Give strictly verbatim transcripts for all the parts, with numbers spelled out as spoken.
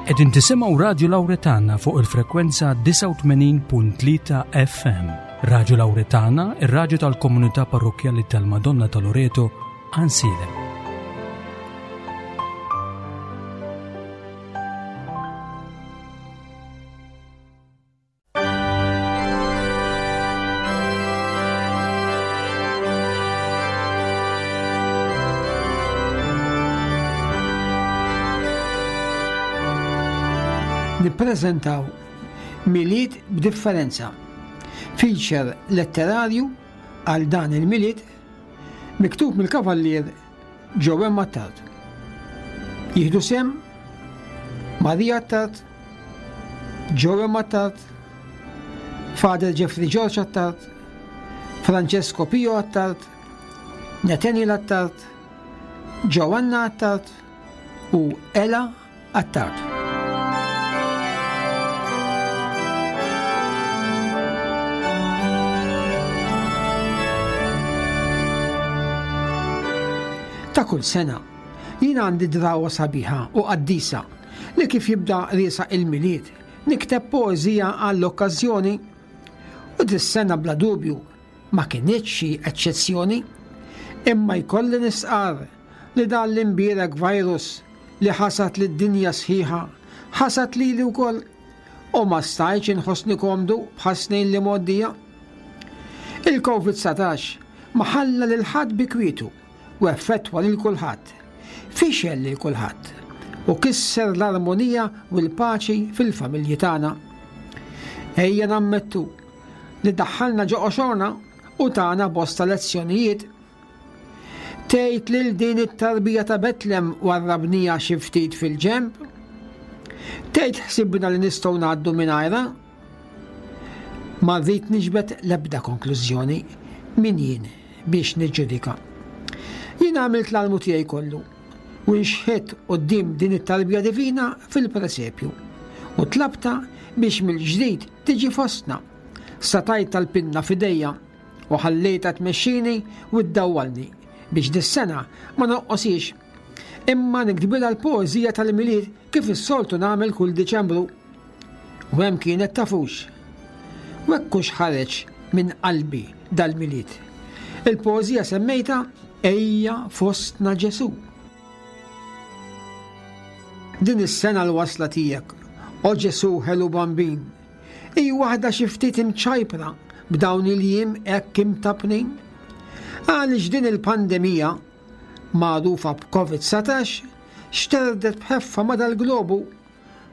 Qegħdin tisimgħu Radju Lawretana fuq il-frekwenza disgħa u tmenin punt tlieta F M. Radju Lawretana, ir-radju tal-Komunità Parrokkjali tal-Madonna ta' Loreto, Għajnsielem. Nippreżentaw Milied b'Differenza. Feature letterarju għal dan il-Milied miktub mill-Kavallier Joe Attard. Jieħdu sehem Maria Attard, Joe Attard, Father Jeffrey George Attard, Francesco Pio Attard, Nathaniel Attard, Joanna Attard u Ella Attard. Ta' kull sena, jien għandi drawa sabiħa u qaddisa li kif jibda riesaq il-Milied, nikteb poezija għall-okkażjoni, u dis-sena bla dubju ma kinitx xi eċċezzjoni. Imma jkolli nistqar li dan l-imbierek virus li ħasad lid-dinja sħiħa, ħasad lili wkoll u ma stajtx inħossni komdu bħas-snin l-imgħoddija. Il-Covid dsatax ma ħalla lil ħadd bi kwietu u effettwa lil kulħadd. Fixel lil kulħadd u kisser l-armonija u l-paċi fil-familji tagħna. Ejja nammettu li daħħalna ġo qoxorna u tana bosta lezzjonijiet. Tgħid lil din it-tarbija ta' Betlem warrabnieha xi ftit fil-ġenb? Tgħid ħsibna li nistgħu ngħaddu mingħajrha? Ma rrid niġbed l-ebda konklużjoni, min jien biex niġġudika. Jien għamilt l-almu tiegħi kollu u nxħett quddiem din it-tarbija divina fil-presepju u tlabtha biex mill-ġdid tiġi fostna. Tajtha l-pinna f'idejja u ħallejtha tmexxini u ddawwalni biex dis-sena ma noqosix. Imma niktbilha l-poeżija tal-Milied kif is-soltu nagħmel kull Diċembru. U hemm kienet, tafux. U hekk ħareġ minn qalbi dal-Milied. Il-poeżija semmejtha "Ejja Fostna Ġesu". Din is-sena l-wasla tiegħek, o Ġesu ħelu bambin, hi waħda xi ftit imċajpra b'dawn il-jiem hekk imtappnin. Għaliex din il-pandemija magħrufa b'Covid dsatax xterdet b'ħeffa ma dal-globu,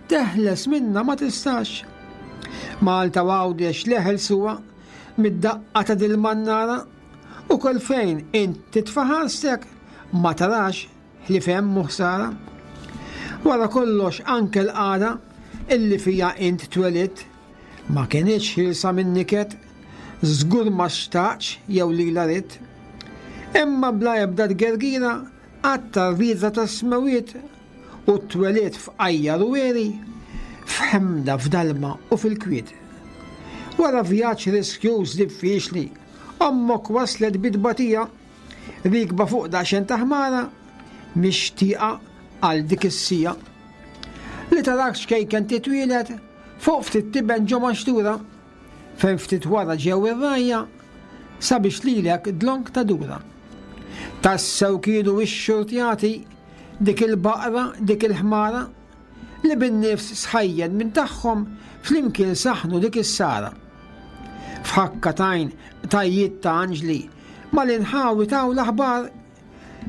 teħles minna ma tistax. Malta Għawdex leħel suwa mid-daqqa ta' dil-mannara u kull fejn int titfa' ħarstek ma tarax ħlief hemm ħsara. Wara kollox, anke l-qagħda illi fija int twelidt ma kinitx ħielsa minn niket, żgur ma xtaqx jew li ridt. Imma bla ebda tgergira għatta r-rieda tas-smewwiet u twelidt f'qajjar u għeri, f'ħemda, f'dalma u fil-kwiet. Wara vjaġġ riskjuż, diffiċli, ommok waslet bit-tbatija, rikba fuq daqsxejn ta' ħmara, mixtieqa għal dik is-siegħa. Li tarak xkejken titwieled fuq ftit tiben ġo maxtura, fejn ftit wara ġew ir-rgħajja sabiex lilek dlonk tadura. Tassew kienu ix-xurtjati dik il-baqra, dik il-ħmara, li bin-nifs sħajjen minn tagħhom flimkien saħnu dik is-sara. F'ħakka t'għajn qtajjiet ta' anġli mal-inħawi taw l-aħbar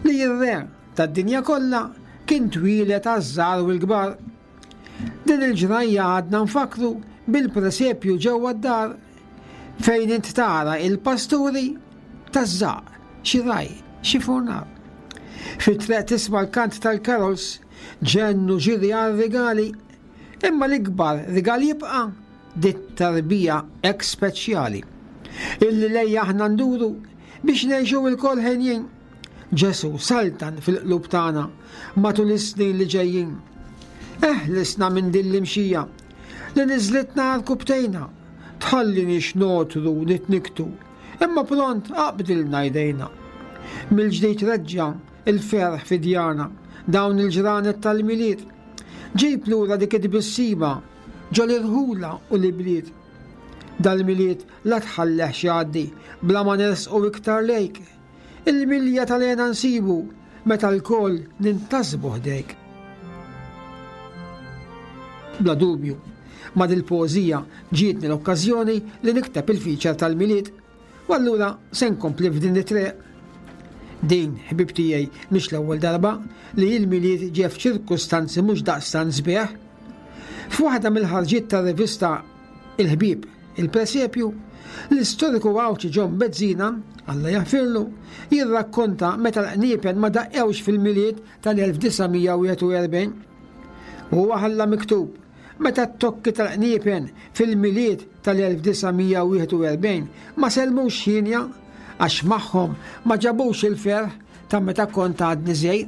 li r-re tad-dinja kollha kien twieled għaż-żgħar u l-kbar. Din il-ġrajja għadna nfakru bil-presepju ġewwa d-dar fejn int tara il-pasturi taż-żaq, xi raj, xi furnar. Fit-triq tisma' l-kant tal-carols, ġennu ġiri għal-rigali, imma l-ikbar rigal jibqa' dit-tarbija hekk speċjali. Illi lejha aħna nduru biex ngħixu lkoll henjin. Ġesu saltan fil-qlub tagħna matul is-snin li ġejjin. Eħlisna minn din l-imxija li niżlitna għarkupptejna, tħalliniex nogħtru nitnikktu, imma pront aqbdilna jdejna. Mill-ġdid reġġa' il-ferħ fi djarna dawn il-ġranet tal-Milied. Ġib lura dik it-tbissima ġo l-irħula u l-ibliet. Dal-Milied la tħallihx jgħaddi bla ma nersqu iktar lejk. Il-milja tal-hena nsibu meta lkoll nintasbu ħdejk. Bla dubju, ma' dil-poeżija ġietni l-okkażjoni li nikteb il-feature tal-Milied u allura se nkompli f'din it-triq. Din, ħbieb tiegħi, mhix l-ewwel darba li l-Milied ġie f'ċirkustanzi mhux daqstant sbieħ. F'waħda mill-ħarġiet tar-rivista Il-Ħbieb, il-Presepju, l-istoriku Għawdxi John Bezzina, Alla jaħfirlu, jirrakkonta meta l-qniepen ma daqqewx fil-Milied tal-elf disa' mija wieħed u erbgħin. Huwa ħalla miktub meta t-tokki tal-qniepen fil-Milied tal-elf disa' mija wieħed u erbgħin ma sellmux ħinja għax magħhom ma ġabux il-ferħ ta' meta kont għadni żgħir.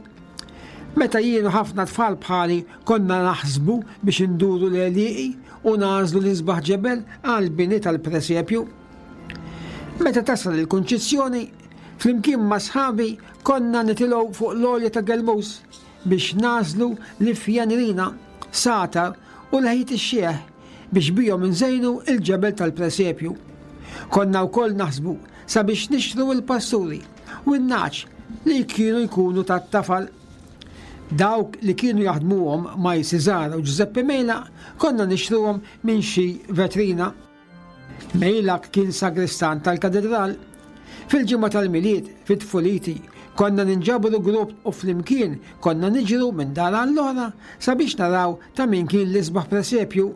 Meta jien u ħafna tfal bħali konna naħsbu biex induru l-għelieqi u nagħżlu l-isbaħ ġebel għall-bini tal-presepju. Meta tasal il-Kunċizzjoni, flimkien ma' sħabi konna nitilgħu fuq l-għolja ta' Gelmus biex nagħżlu l-ifjanirina, satar u l-ħejt ix-xieħ biex bihom inżejnu il-ġebel tal-presepju. Konna wkoll naħsbu sabiex nixtru l-pasturi u n-naċ li kienu jkunu tat-tafal. Dawk li kienu jaħdmuhom Maj Cesar u Giuseppe Mejla konna nixtruhom minn xi vetrina. Mejlak kien sagristan tal-katedral. Fil-ġimgħa tal-Milied, fit-tfuliti, konna ninġabru grupp u flimkien konna niġru minn dar għall-oħra sabiex naraw ta' min kien l-isbaħ presepju.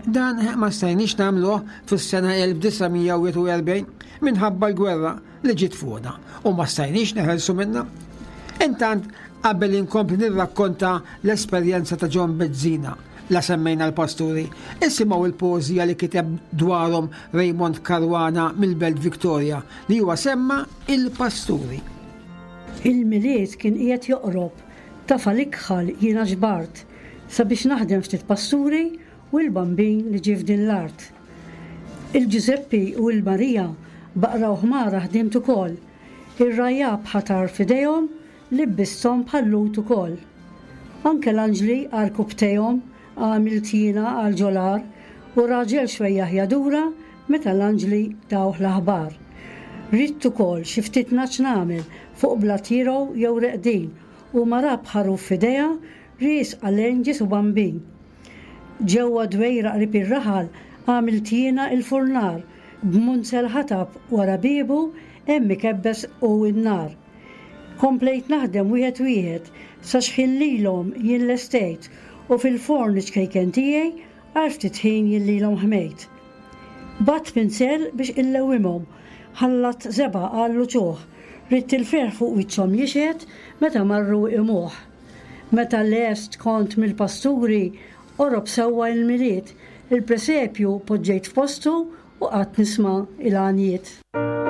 Dan ma stajniex nagħmluh fis-sena elf disa' mija wieħed u erbgħin minħabba l-gwerra li ġiet fuqna u ma stajniex neħelsu minnha. Intant, qabel inkompli nirrakkonta l-esperjenza ta' John Bezzina, la semmejna l-pasturi, isimgħu il-poeżija li kiteb dwarhom Raymond Caruana mill-Belt Victoria li huwa semma il-pasturi. Il-Milied kien qiegħed joqrob, tafal ikħal jiena ġbart sabiex naħdem ftit pasturi u l-bambin li ġie f'din l-art. Il-Ġużeppi u l-Marija baqra u ħmara ħdimt ukoll, ir-rajab ħatar f'idejhom libbisthom bħal-lut ukoll. Anke l-anġli għarku btejhom għamilt jiena għal ġolar u raġel xwejjaħ jadura meta l-anġli dawh l-aħbar. Ridt ukoll xi ftit naċ nagħmel fuq blat jirgħu jew reqdin u mara b'ħaruf f'idejha ries għalejn Ġesu Bambin. Ġewwa dwejra qrib ir-raħal għamilt jiena il-furnar b'munzel ħatab wara biebu hemm ikebbes u n-nar. Komplejt naħdem wieħed wieħed sa xħin lilhom jien lestejt u fil-forn iċ-ċkejken tiegħi għal ftit ħin jien lilhom ħmejt. Bat pinsel biex illewwimhom, ħallat żebgħa għall-uċuħ, ridt il-ferħ fuq wiċċhom jixhed meta marru imuħ. Meta lest kont mill-pasturi, qorob sewwa il-Milied, il-presepju poġġejt f'postu u qatt nisma' il-għanjiet. Chelsea.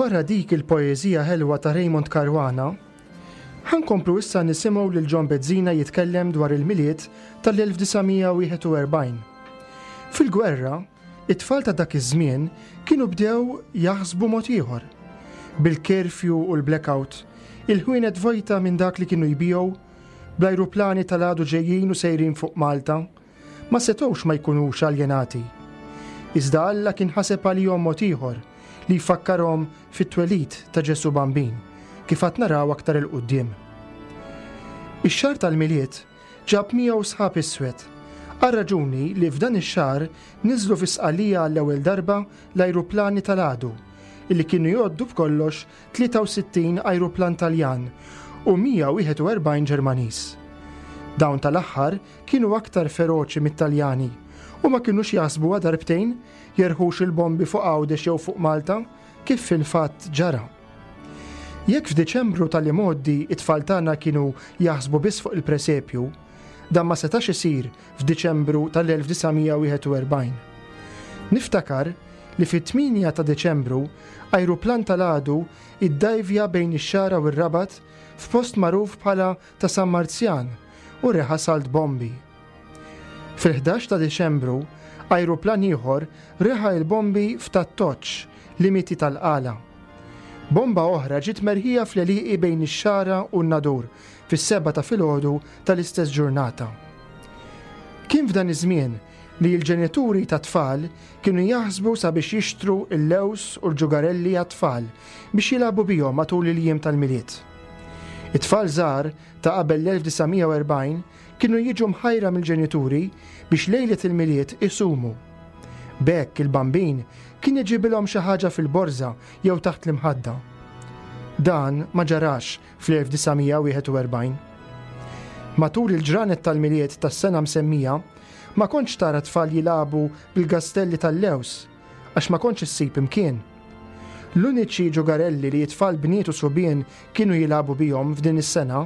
Wara dik il-poeżija ħelwa ta' Raymond Caruana, ħa nkomplu issa nisimgħu lil John Bezzina jitkellem dwar il-Milied tal-elf disa' mija wieħed u erbgħin. Fil-gwerra, it-tfal ta' dak iż-żmien kienu bdew jaħsbu mod ieħor. Bil-curfew u l-blackout, il-ħwienet vojta minn dak li kienu jbigħu, bl-ajruplani tal-għadu ġejjin u sejrin fuq Malta, ma setgħux ma jkunux aljenati. Iżda Alla kien ħaseb għalihom mod ieħor li jfakkarhom fit-twelid ta' Ġesu Bambin, kif għad naraw aktar 'il quddiem. Ix-xahar tal-Milied ġab miegħu sħab iswed, għal raġuni li f'dan ix-xahar niżlu fi Sqallija għall-ewwel darba l-ajruplani tal-għadu, illi kienu jgħoddu b'kollox tlieta u sittin ajruplan Taljan u mija wieħed u erbgħin Ġermaniż. Dawn tal-aħħar kienu aktar feroċi mit-Taljani u ma kinux jaħsbuha darbtejn jerħux il-bombi fuq Għawdex jew fuq Malta, kif fil-fatt ġara. Jekk f'Diċembru tal-imgħoddi it-tfal tagħna kienu jaħsbu biss fuq il-presepju, dan ma setax isir f'Diċembru tal-elf disa' mija wieħed u erbgħin. Niftakar li fit-tmienja ta' Diċembru ajruplan tal-għadu iddajvja bejn ix-Xagħra u r-Rabat f'post magħruf bħala ta' San Marzjan u reħa salt bombi. Fil-ħdax ta' Diċembru ajruplan ieħor reħa il-bombi f'Tat-Toċ, limiti tal-Qala. Bomba oħra ġiet merħija fl-għelieqi bejn ix-Xagħra u n-Nadur fis-seba ta' filgħodu tal-istess ġurnata. Kien f'dan iż-żmien li l-ġenituri ta' tfal kienu jaħsbu sabiex jixtru l-lews u l-ġugarelli għat-tfal biex jilagħbu bihom matul il-jiem tal-Milied. It-tfal żgħar ta' qabel l-elf disa' mija u erbgħin kienu jiġu mħajra mill-ġenituri biex lejlet il-Milied isumu. B'hekk il-bambin kien iġibilhom xi ħaġa fil-borża jew taħt l-imħadda. Dan ma ġarax fl-elf disa' mija wieħed u erbgħin. Matul il-ġranet tal-Milied tas-sena msemmija, ma kontx tara tfal jilagħbu bil-gastelli tal-lews għax ma kontx issib imkien. L-uniċi ġugarelli li t-tfal bniet u subien kienu jilagħbu bihom f'din is-sena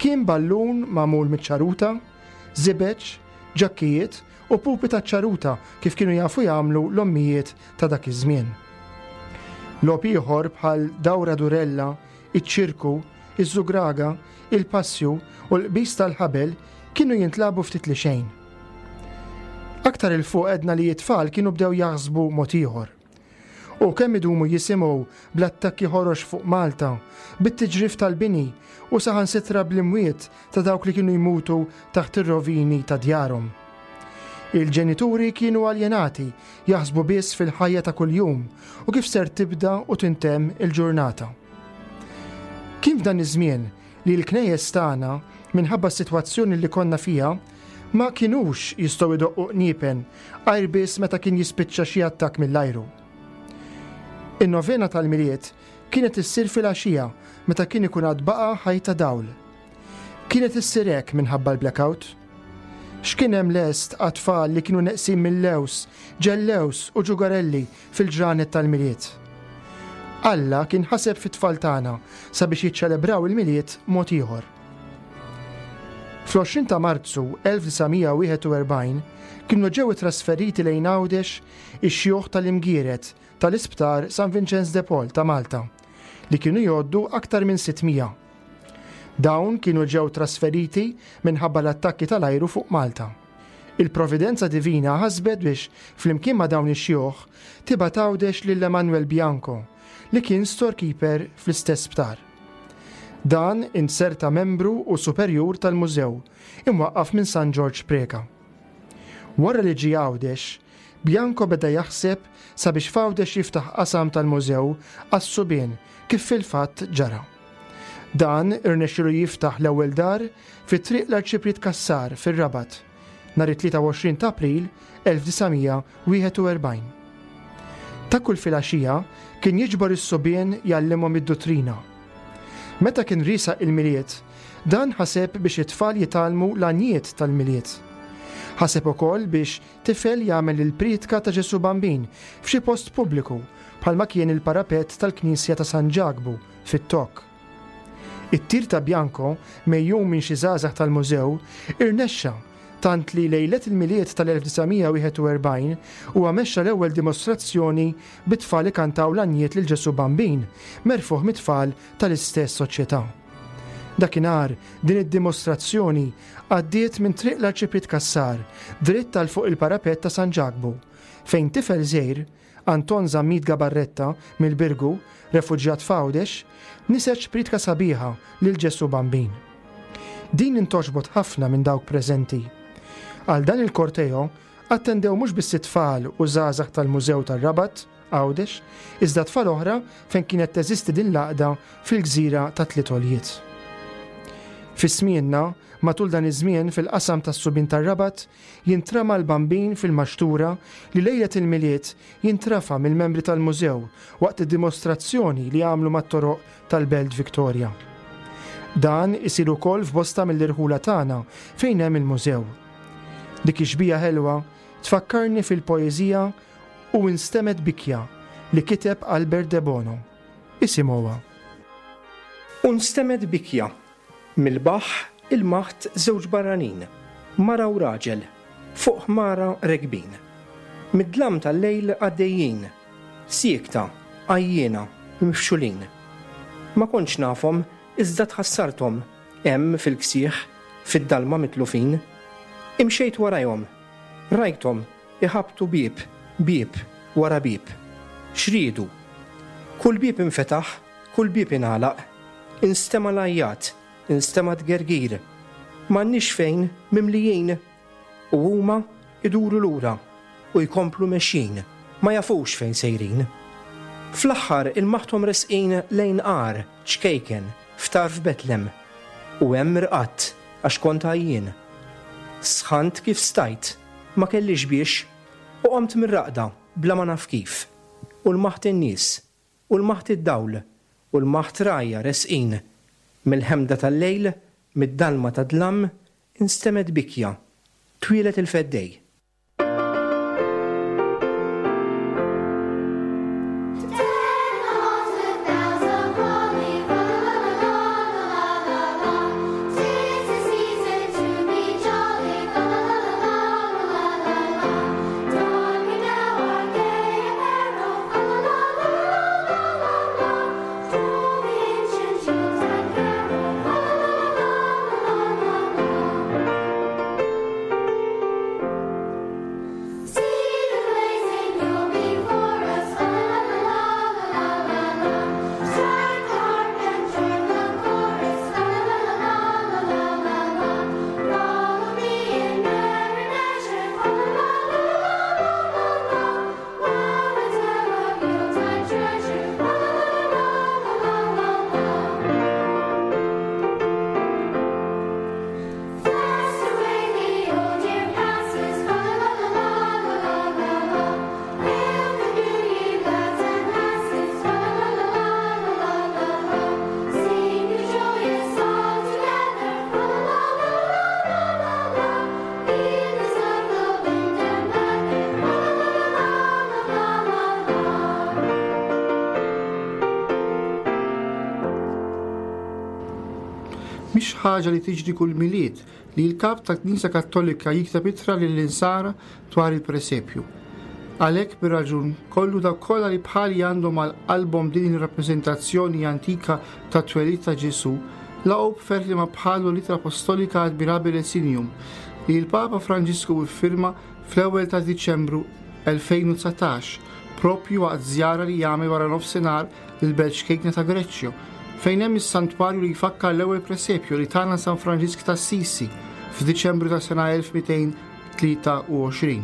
kien ballun magħmul miċ-ċaruta, żibeġ, ġakkijiet u pupi taċ-ċaruta kif kienu jafu jagħmlu l-ommijiet ta' dak iż-żmien. Logħob ieħor bħal dawra durella, iċ-ċirku, iż-żugraga, il-passju u l-qbis tal-ħabel kienu jintlabu ftit li xejn. Aktar il fuq edna li t-tfal kienu bdew jaħsbu mod ieħor. U kemm idumu jisimgħu bl-attakki ħorox fuq Malta, bit-tiġrif tal-bini u saħansitra bl-imwiet ta' dawk li kienu jmutu taħt ir-rovini ta' djarhom. Il-ġenituri kienu aljenati, jaħsbu biss fil-ħajja ta' kuljum u kif ser tibda u tintemm il-ġurnata. Kien f'dan iż-żmien li l-knejjes tagħna, minħabba s-sitwazzjoni li konna fiha, ma kinux jistgħu jdoqqu qniepen għajr biss meta kien jispiċċa xi attakk mill-ajru. In-novena tal-Milied kienet issir fil-għaxija meta kien ikun għad baqa' ħajta dawl. Kienet issir hekk minħabba l-blackout. X'kien hemm lest għat-tfal li kienu neqsin mill-lews, ġellews u ġugarelli fil-ġranet tal-Milied. Alla kien ħaseb fit-tfal tagħna sabiex jiċċelebraw il-Milied mod ieħor. Fl-għoxrin ta' Marzu elf disa' mija wieħed u erbgħin kienu ġew trasferiti lejn Għawdex ix-xjuħ tal-Imgieret tal-Isptar San Vincenz de Paul ta' Malta, li kienu jgħoddu aktar minn sitt mija. Dawn kienu ġew trasferiti minħabba l-attakki tal-ajru fuq Malta. Il-Providenza Divina ħasbet biex flimkien ma' dawn ix-xjuħ tibgħat Għawdex lil Emanuel Bianco, li kien storekeeper fl-istess sptar. Dan inserta membru u superjur tal-mużew, imwaqqaf minn San Ġorġ Preca. Wara li ġie Għawdex, Bianco beda jaħseb sabiex f'Għawdex jiftaħ qasam tal-mużew għas-subien kif fil-fatt ġara. Dan irnexxielu jiftaħ l-ewwel dar fi triq l-Arċipriet Cassar fir-Rabat nhar it-tlieta u għoxrin ta' April elf disa' mija wieħed u erbgħin. Ta' kull filgħaxija kien jiġbor is-subien jgħallimhom id-duttrina. Meta kien riesaq il-Milied, dan ħaseb biex it-tfal jitgħallmu l-għanjiet tal-Milied. Ħaseb ukoll biex tifel jagħmel il-priedka ta' Ġesu Bambin f'xi post pubbliku bħalma kien il-parapet tal-Knisja ta' San Ġakbu fit-Tokk. It-tir ta' Bianco, mejjum minn xi żgħażagħ tal-mużew, irnexxa tant li lejlet il-Milied tal-elf disa' mija wieħed u erbgħin huwa mexxa l-ewwel dimostrazzjoni bit-tfal ikantaw l-għanjiet lil Ġesù Bambin, merfuħ mit-tfal tal-istess soċjetà. Dakinhar din id-dimostrazzjoni għaddiet minn triq l-Arċipriet Cassar, dritt għal fuq il-parapet ta' San Ġakbu, fejn tifel żgħir, Anton Zammit Gabarretta mill-Birgu, refuġjat f'Għawdex, niseġ pritka sabiħa lil Ġesù Bambin. Din intoġbot ħafna minn dawk preżenti. Għal dan il-korteo attendew mhux biss it-tfal u żgħażagħ tal-Mużew tar-Rabat, Għawdex, iżda tfal oħra fejn kienet teżisti din l-għaqda fil-gżira ta' Tliet Għoljiet. Fi smienna, matul dan iż-żmien fil-qasam tas-subien tar-Rabat, jintrama l-bambin fil-maxtura li lejlet il-Milied jintrafa mill-membri tal-mużew waqt id-dimostrazzjoni li għamlu mat-toroq tal-Belt Victoria. Dan isir ukoll f'bosta mill-irħula tagħna fejn hemm il-mużew. Dik ix-xbija ħelwa tfakkarni fil-poeżija u Instemgħet Bikja li kiteb Albert De Bono. Isimgħuha. U nstemgħet bikja mill-baħ il-maħt żewġ barranin, mara u raġel, fuq ħmara rekbin. Mid-dlam tal-lejl għaddejjin, siekta, għajjiena, mifxulin. Ma kontx nafhom, iżda tħassarthom, hemm fil-ksieħ, fid-dalma mitlufin. Imxejt warajhom, rajthom iħabtu bieb, bieb, wara bieb. Xriedu. Kull bieb infetaħ, kull bieb ingħalaq, instema' l-għajjat, instema' tgergir. M'għandniex fejn mimlijin u huma iduru lura u jkomplu mexjin, ma jafux fejn sejrin. Fl-aħħar il-maħtom resqin lejn għar, ċkejken, f'tarf Betlem, u hemm irqadt għax kont għajjien. Sħant kif stajt, ma kellix biex, u qomt mir-raqda bla ma naf kif. U l-maħt in-nies, u l-maħt id-dawl, u l-maħt rajja resqin. Mill-ħemda tal-lejl, mid-dalma ta' dlam, instemgħet bikja, twieled il-feddej. Mhix ħaġa li tiġri kull Milied li l-kap tal-Knisja Kattolika jikteb ittra lill-insara dwar il-presepju. Għalhekk bir-raġun kollu dawk kollha li bħali għandhom għal qalbhom din ir-rappreżentazzjoni antika ta' twelid ta' Ġesù, laqgħu b'ferħ li ma bħalu l-ittra apostolika Admirabile Signum li l-Papa Franġisku iffirma fl-ewwel ta' Diċembru elfejn u dsatax, propju waqt żjara li jagħmel wara nofsinhar lill-Belt Ċkejkna ta' Greċċjo, fejn hemm is-santwarju li jfakkar l-ewwel presepju li tana San Franġisk ta' Assisi f'Diċembru ta' sena elf mitejn tlieta u għoxrin.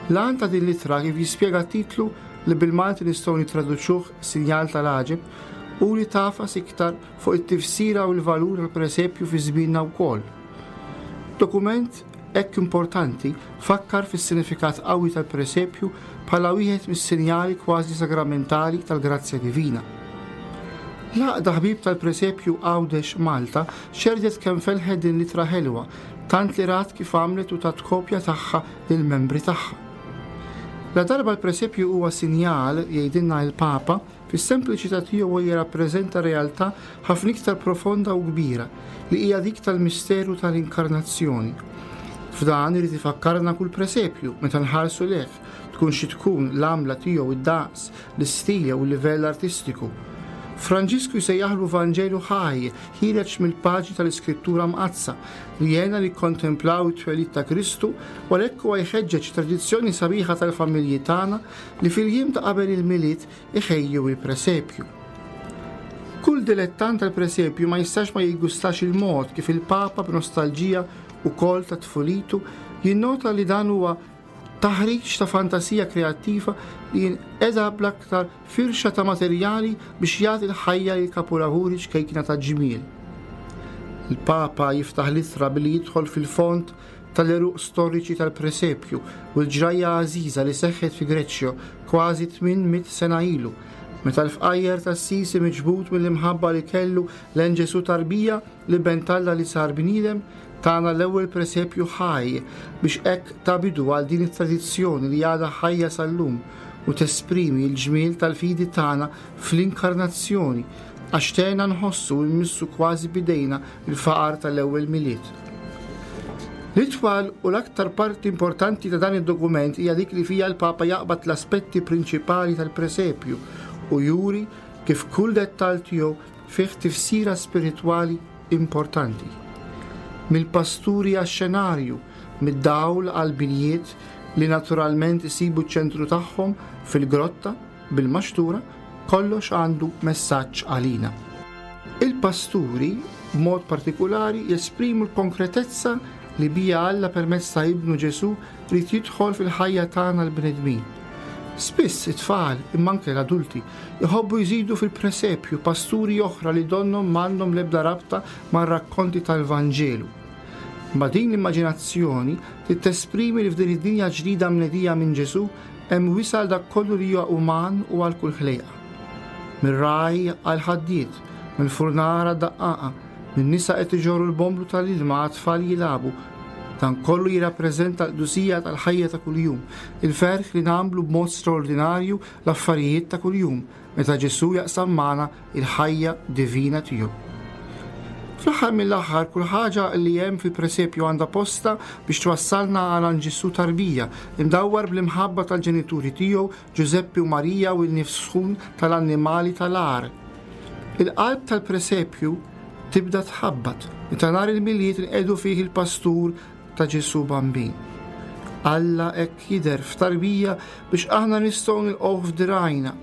L-għan ta' din l-ittra kif jispjega titlu li bil-Malti nistgħu nittraduċuh sinjal tal-għaġeb u li tafas iktar fuq it-tifsira u l-valur tal-presepju fi żmienna wkoll. Dokument hekk importanti fakkar fis-sinifikat qawwi tal-presepju bħala wieħed mis-sinjali kważi sagramentali tal-grazzja divina. L-għaqda ħbieb tal-presepju Għawdex Malta xerdet kemm felħet din l-ittra ħelwa, tant li rat kif għamlet u tat kopja tagħha lill-membri tagħha. La darba l-presepju huwa sinjal, jgħidilna il-Papa, fis-sempliċità tiegħu jirrappreżenta realtà ħafna iktar profonda u kbira li hija dik tal-misteru tal-inkarnazzjoni. F'dan irid ifakkarna kull presepju meta nħarsu lejh, tkun xi tkun l-għamla tiegħu, id-daqs, l-istil jew il-livell artistiku. Franġisku jsejjaħlu Vanġelu ħaj, ħiereġ mill-paġni tal-Iskrittura Mqaddsa, li jgħinna nikkontemplaw it-twelid ta' Kristu, u għalhekk huwa jħeġġeġ tradizzjoni sabiħa tal-familji tagħna li fil-jiem ta' qabel il-Milied iħejju il-presepju. Kull dilettant tal-presepju ma jistax ma jiggustax il-mod kif il-Papa b'nostalġija ukoll ta' tfulitu jinnota li dan huwa taħriġ ta' fantasija kreattiva li jinqeda bl-aktar firxa ta' materjali biex jagħti l-ħajja lil kapulavuri ċkejkna ta' ġmiel. Il-Papa jiftaħ l-ittra billi jidħol fil-fond tal-għeruq storiċi tal-presepju u l-ġrajja għażiża li seħħet fi Greċjo kważi tmien mitt sena ilu, meta l-fqajjer t'Assisi miġbud mill-imħabba li kellu lejn Ġesù tarbija li ben t'Alla li sar bniedem, tana l-ewwel presepju ħaj biex hekk ta bidu għal din it-tradizzjoni li għadha ħajja sal-lum u tesprimi l-ġmiel tal-fidi tagħna fl-inkarnazzjoni, għax tgħinna nħossu u nmissu kważi bidejna l-faqar tal-ewwel Milied. L-itwal u l-aktar parti importanti ta' dan id-dokument hija dik li fija l-Papa jaqbad l-aspetti prinċipali tal-presepju u juri kif kull dettall tiegħu fih tifsira spiritwali importanti. Mill-pasturi għax-xenarju, mid-dawl għall-binjiet li naturalment isibu ċ-ċentru tagħhom fil-grotta bil-maxtura, kollox għandu messaġġ għalina. Il-pasturi, b'mod partikulari, jesprimu l-konkretezza li bija Alla permezz ta' Ibnu Ġesù rrid jidħol fil-ħajja tagħna l-bnedmin. Spiss it-tfal, imma anke l-adulti, iħobbu jżidu fil-presepju pasturi oħra li donnhom m'għandhom l-ebda rabta mar-rakkonti tal-Vanġelu. Ma din l-immaġinazzjoni trid tesprimi li f'din id-dinja ġdida mnedija minn Ġesù hemm wisal dak kollu li huwa uman u għal kull ħlejqa. Mir-ragħaj għal ħaddied, mill-furnara daqqaqa, minn nisa qed iġorru l-bomblu tal-ilma għat-tfal jilagħbu. Dan kollu jirrappreżenta l-qdusija tal-ħajja ta' kuljum, il-ferħ li nagħmlu b'mod straordinarju l-affarijiet ta' kuljum meta Ġesù jaqsam magħna il-ħajja divina tiegħu. Fl-aħħar mill-aħħar, kull ħaġa li hemm fil-presepju għandha posta biex twassalna għal Ġesù tarbija, imdawwar bl-imħabba tal-ġenituri tiegħu Ġużeppi u Marija u l-nifs sħun tal-annimali tal-għar. Il-qalb tal-presepju tibda tħabbat meta nhar il-Milied inqegħdu fih il-pastur ta' Ġesù Bambin. Alla hekk jidher f'tarbija biex aħna nistgħu nilqgħuh f'dirajna.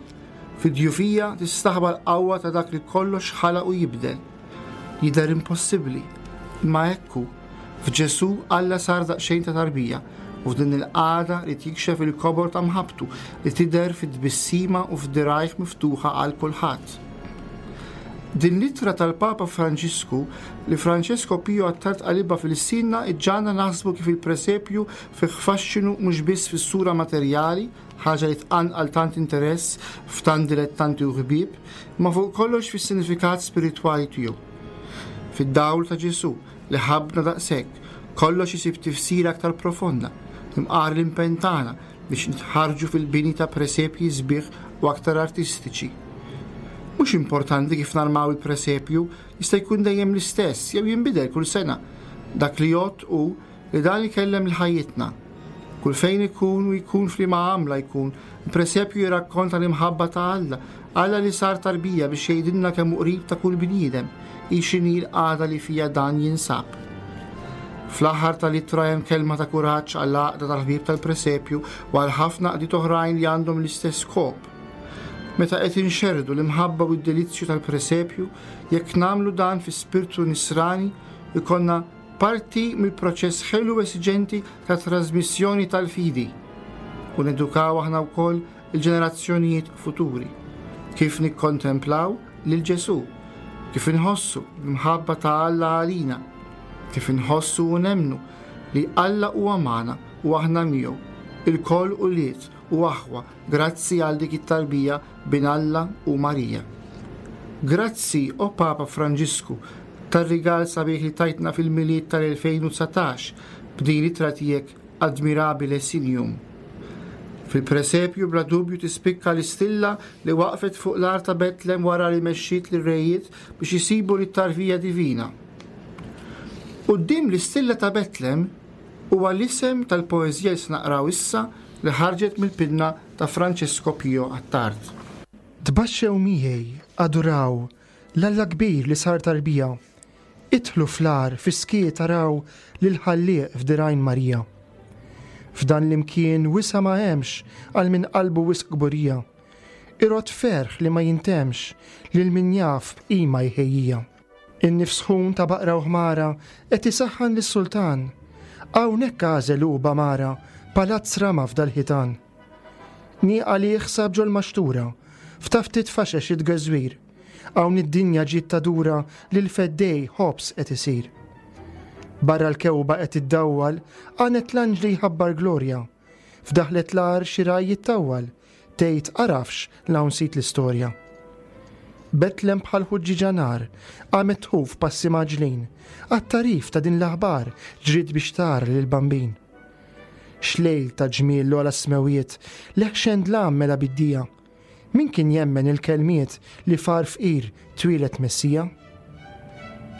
Fid-djufija tistaħba l-qawwa ta' dak li kollox ħalaq u jibdel. Jidher impossibbli, imma hekk hu. F'Ġesù Alla sar daqsxejn ta' tarbija u f'din il-qagħda li jikxef il-kobor ta' mħabbtu li tidher fit-tbissima u f'dirajh miftuħa għal kulħadd. Din l-ittra tal-Papa Franġisku li Francesco Pio Attard qalibha fil-sinna iġġagħalna naħsbu kif il-presepju fih faxxinu mhux biss fis-sura materjali, ħaġa li tqanqal tant interess f'tant dilettanti u ħbieb, imma fuq kollox fis-sinifikat spiritwali tiegħu. Fid-dawl ta' Ġesù li ħabbna daqshekk, kollox isib tifsira aktar profonda, imqar l-impenn tagħna biex nitħarġu fil-bini ta' presepji sbieħ u aktar artistiċi. Mhux importanti kif narmaw il-presepju, jista' jkun dejjem l-istess jew jinbidel kull sena. Dak li jgħodd hu li dan ikellem l-ħajjitna. Kull fejn ikun u jkun f'liema għamla jkun, il-presepju jirrakkonta l-imħabba ta' Alla, Alla li sar tarbija biex jgħidilna kemm hu qrib ta' kull bniedem, hi x'inhi l-qagħda li fija dan jinsab. Fl-aħħar tal-ittra hemm kelma ta' kuraġġ għall-għaqda tal-ħbieb tal-presepju u għal ħafna għaqdiet oħrajn li għandhom l-istess skop. Meta qed inxerrdu l-imħabba u d-delizzju tal-presepju, jekk nagħmlu dan fi spirtu nisrani, ikollna parti mill-proċess ħelu esiġenti ta' trasmissjoni tal-fidi u nedukaw aħna wkoll il-ġenerazzjonijiet futuri. Kif nikkontemplaw lil Ġesù, kif inħossu l-imħabba ta' Alla għalina, kif inħossu u nemmnu li Alla huwa magħna u aħna miegħu, ilkoll ulied u aħwa, grazzi għal dik it-tarbija bin Alla u Marija. Grazzi, o Papa Franġisku, tar-rigal sabiħ li tajtna fil-Milied tal-elfejn u dsatax b'din l-ittra tiegħek admirabile signum. Fil-presepju bla dubju tispikka l-istilla li waqfet fuq l-art ta' Betlem wara li mexxiet lir-rejiet biex isibu lit-tarbija divina. Quddiem l-istilla ta' Betlem Huwa l-isem tal-poeżija li se naqraw issa li ħarġet mill-pinna ta' Francesco Pio Attard. Tbaxxew miegħi, aduraw, l-Alla kbir li sar tarbija. Idħlu fl-għar fis-skiet taraw lil-Ħallieq f'dirgħajn Marija. F'dan l-imkien wisa ma hemmx għal min qalbu wisq kburija. Irod ferħ li ma jintemx lil min jaf b'qima jħejjija. In-nifs sħun ta' baqra u ħmara qed isaħħan lis-sultan. Hawnhekk għażel hu b'amara palazz rama f'dal-ħitan. Nieqa li jħsab ġol-maxtura, f'taftit faxex it-tgeżwir. Hawn id-dinja ġiet tadura li l-feddej ħobż qed isir. Barra l-kewba qed iddawwal, għanet l-anġli jħabbar glorja. F'daħlet l-għar xi raj jittawwal, tgħid għarafx l'hawn sit l-istorja. Betlem bħal ħuġġiġa nar, qamet tħuf passi mgħaġġlin, għat-tagħrif ta' din l-aħbar ġriet biex tara lill-Bambin. X'lejl ta' ġmiel l-ogħla smewiet, leħxen dlam mela bid-dija. Min kien jemmen il-kelmiet li far fqir twieled Messija?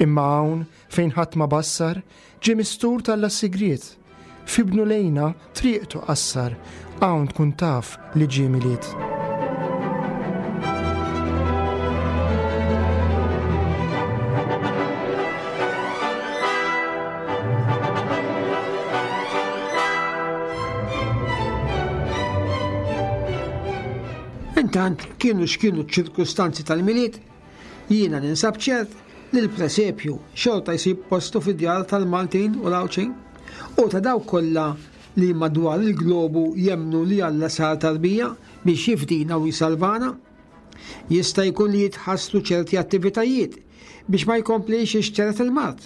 Imma hawn fejn ħadd ma bassar, ġie mistur tal sigriet. Fibnu lejna triqtu qassar, hawn tkun taf li ġie Milied. Intant kienu x'kienu ċ-ċirkustanzi tal-Milied, jiena ninsab ċert li l-presepju xorta jsib postu fid-djar tal-Maltin u l-Għawdxin u ta' dawk kollha li madwar il-globu jemmnu li Alla sar tarbija biex jifdina u jsalvana. Jista' jkun li jitħassru ċerti attivitajiet biex ma jkomplix ixteret il-mard.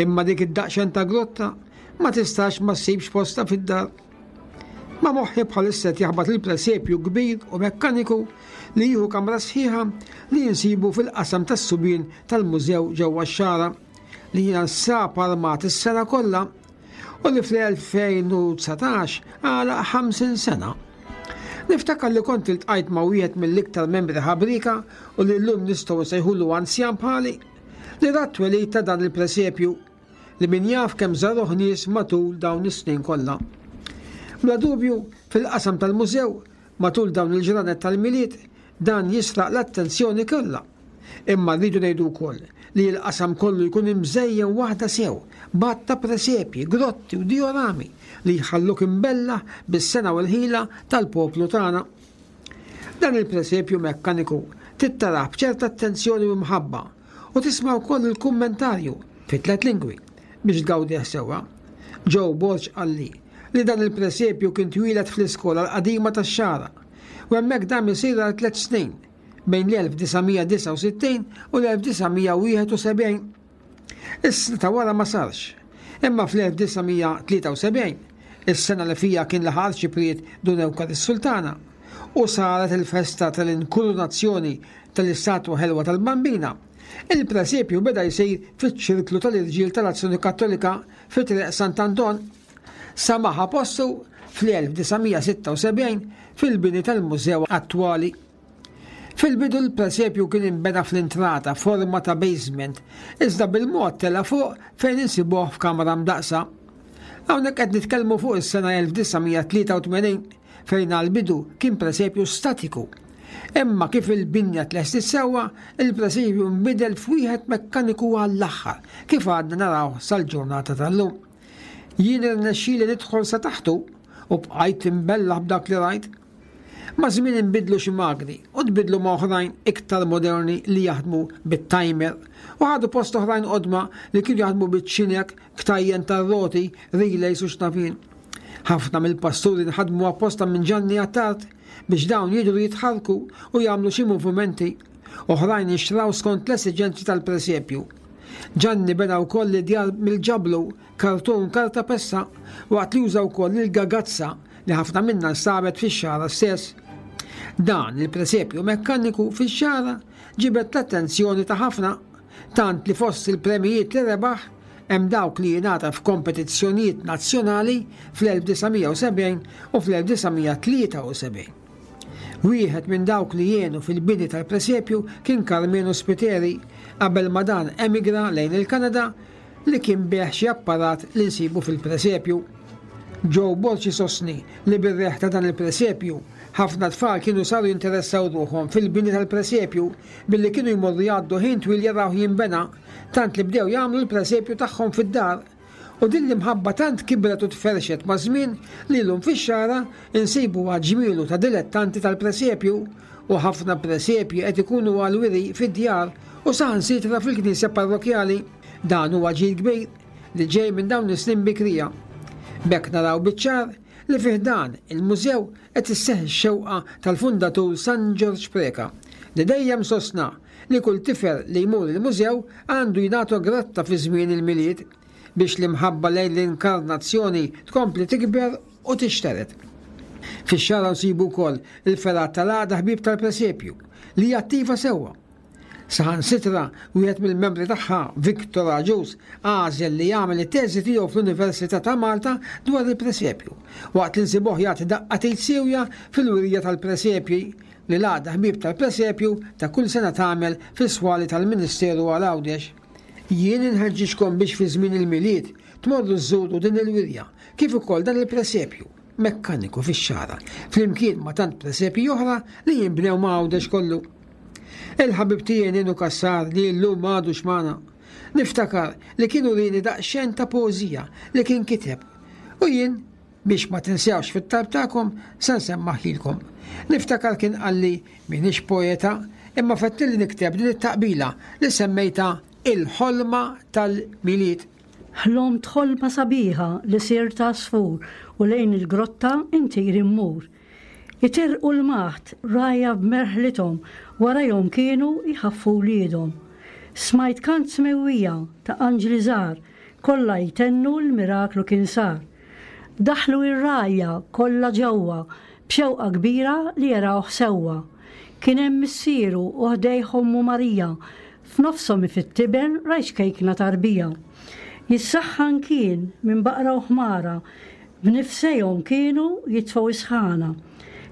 Imma dik id-daqxen ta' grotta ma tistax ma ssibx posta fid-dar. Ma moħħi bħalissa qed jaħbat il-presepju kbir u mekkaniku li jieħu kamra sħiħa li jinsibu fil-qasam tas-subien tal-mużew ġewwa x-Xagħra li jinsab armat is-sena kollha u li fl-elfejn u dsatax għalaq ħamsin sena. Niftakar li kont iltqajt ma' wieħed mill-iktar membri ħabrika u li llum nistgħu nsejħulu anzjan bħali li rat twelid ta' dan il-presepju li min jaf kemm żaruh nies matul dawn is-snin kollha. Bla dubju, fil-qasam tal-mużew, matul dawn il-ġranet tal-Milied, dan jisraq l-attenzjoni kollha. Imma rridu ngħidu wkoll li l-qasam kollu jkun imżejjen waħda sew, b'għadd ta' presepji, grotti u diorami li jħalluk imbella bis-sena u l-ħila tal-poplu tagħna. Dan il-presepju mekkaniku tittarah b'ċerta attenzjoni u mħabba u tisma' wkoll il-kummentarju fi tliet lingwi biex tgawdih sewwa. Joe Borg qalli li dan il-presepju kien twieled fl-iskola l-qadima tax-Xagħra u hemmhekk dam isir għal tliet snin bejn l-elf disa' mija disgħa u sittin u l-elf disa' mija wieħed u sebgħin. Is-sena ta' wara ma sarx, imma fl-elf disa' mija tlieta u sebgħin, is-sena li fija kien laħaq arċipriet Dun Ewkar is-Sultana, u saret il-festa tal-inkurunazzjoni tal-istatwa ħelwa tal-Bambina, il-presepju beda jsir fiċ-ċirklu tal-Irġiel tal-Azzjoni Kattolika fi Triq Sant'Anton. Samaħa postu fl-elf disa' mija sitta u sebgħin fil-bini tal-mużew attwali. Fil-bidu l-presepju kien inbena fl-intrata forma ta' basement, iżda bil-mod tela' fuq fejn insibuh f'kamra mdaqsa. Hawnhekk qed nitkellmu fuq is-sena elf disa' mija tlieta u tmenin fejn għall-bidu kien presepju statiku. Imma kif il-binja tlestit sewwa, il-presepju nbidel f'wieħed mekkaniku għall-aħħar, kif għadna naraw sal-ġurnata tal-lum. Jien irnexxieli nidħol sa taħtu u bqajt imbellaħ b'dak li rajt. Ma' żmien inbidlu xi magni u tbidlu ma' oħrajn iktar moderni li jaħdmu bit-timer u ħadu post oħrajn qodma li kienu jaħdmu biċ-ċinek, ktajjen tar-roti, relays u xnafin. Ħafna mill-pasturi nħadmu apposta minn Ġanni Attard biex dawn jidhru jitħarrku u jagħmlu xi movimenti. Oħrajn jixtraw skont l-esiġenzi tal-presepju. Ġanni bena wkoll id-djar mill-ġablu, kartun, karta pessa, waqt li juża wkoll il-gagazza li ħafna minna nstabet fix-Xagħra stess. Dan il-presepju mekkaniku fix-Xagħra ġibed l-attenzjoni ta' ħafna, tant li fost il-premijiet li rebaħ hemm dawk li jingħata f'kompetizzjonijiet nazzjonali fl-elf disa' mija u sebgħin u fl-elf disa' mija tlieta u sebgħin. Wieħed minn dawk li jenu fil-bini tal-presepju kien Carmenu Spiteri qabel ma dan emigra lejn il-Kanada li kien biegħ xi apparat li nsibu fil-presepju. Joe Borg isostni li bir-reħ ta' dan il-presepju ħafna tfal kienu saru jinteressaw ruħhom fil-bini tal-presepju billi kienu jmorru jgħaddu ħin twil jaraw jinbena, tant li bdew jagħmlu l-presepju tagħhom fid-dar. U din l-imħabba tant kibret u tferxet ma' żmien li llum fix-Xagħra insibu ġmielu ta' dilettanti tal-presepju u ħafna presepji qed ikunu għal-wiri fid-djar u saħansitra fil-knisja parrokjali. Dan huwa ġid kbir li ġej minn dawn is-snin bikrija. B'hekk naraw biċ-ċar li fih dan il-mużew qed isseħħ ix-xewqa tal-fundatur San Ġorġ Preca li dejjem sostna li kull tifel li jmur il-mużew għandu jingħata gratta fi żmien il-Milied biex l-imħabba lejn l-inkarnazzjoni tkompli tikber u tixteret. Fix-Xagħra nsibu wkoll il-fergħa tal-Għaqda Ħbieb tal-Presepju li hija attiva sewwa. Saħansitra wieħed mill-membri tagħha, Victor Agius, għażel li jagħmel it-teżi tiegħu fl-Università ta' Malta dwar il-presepju, waqt li nsibuh jagħti daqqa t'id siewja fil-wirja tal-presepji li l-Għaqda Ħbieb tal-Presepju ta' kull sena tagħmel fis-swali tal-Ministeru għal Għawdex. Jien inħeġġiġkom biex fi żmien il-Milied tmorru żżuru din il-wirja kif ukoll dan il-presepju mekkaniku fix-Xagħra, flimkien ma' tant presepji oħra li jinbnew ma' Għawdex kollu. Il-ħabib tiegħi Ninu Cassar li llum m'għadux magħna, niftakar li kienu lini daqsxejn ta' poeżija li kien kiteb u jien biex ma tinsewx fit-talb tagħkom se nsemmaħilkom. Niftakar kien qalli m'iniex poeta imma fettilli nikteb din it-taqbila li semmejta Il-ħolma tal-Milied. Ħlomt ħolma sabiħa li sirt għasfur u lejn il-grotta intir immur. Itirqu l-maħt rajja b'merħlithom warajhom kienu jħaffu wliedhom. Smajt kant smewwija ta' anġli żgħar kollha jtennu l-miraklu kien sar. Daħlu ir-rajja kollha ġewwa b'xewqa kbira li jarawh sewwa. Kien hemm missieru u ħdejh ommu Marija, f'nofshom fit-tiben rajt kejkna tarbija. Jissaħħan kien minn baqra u ħmara, b'nifsejhom kienu jitfgħu isħana.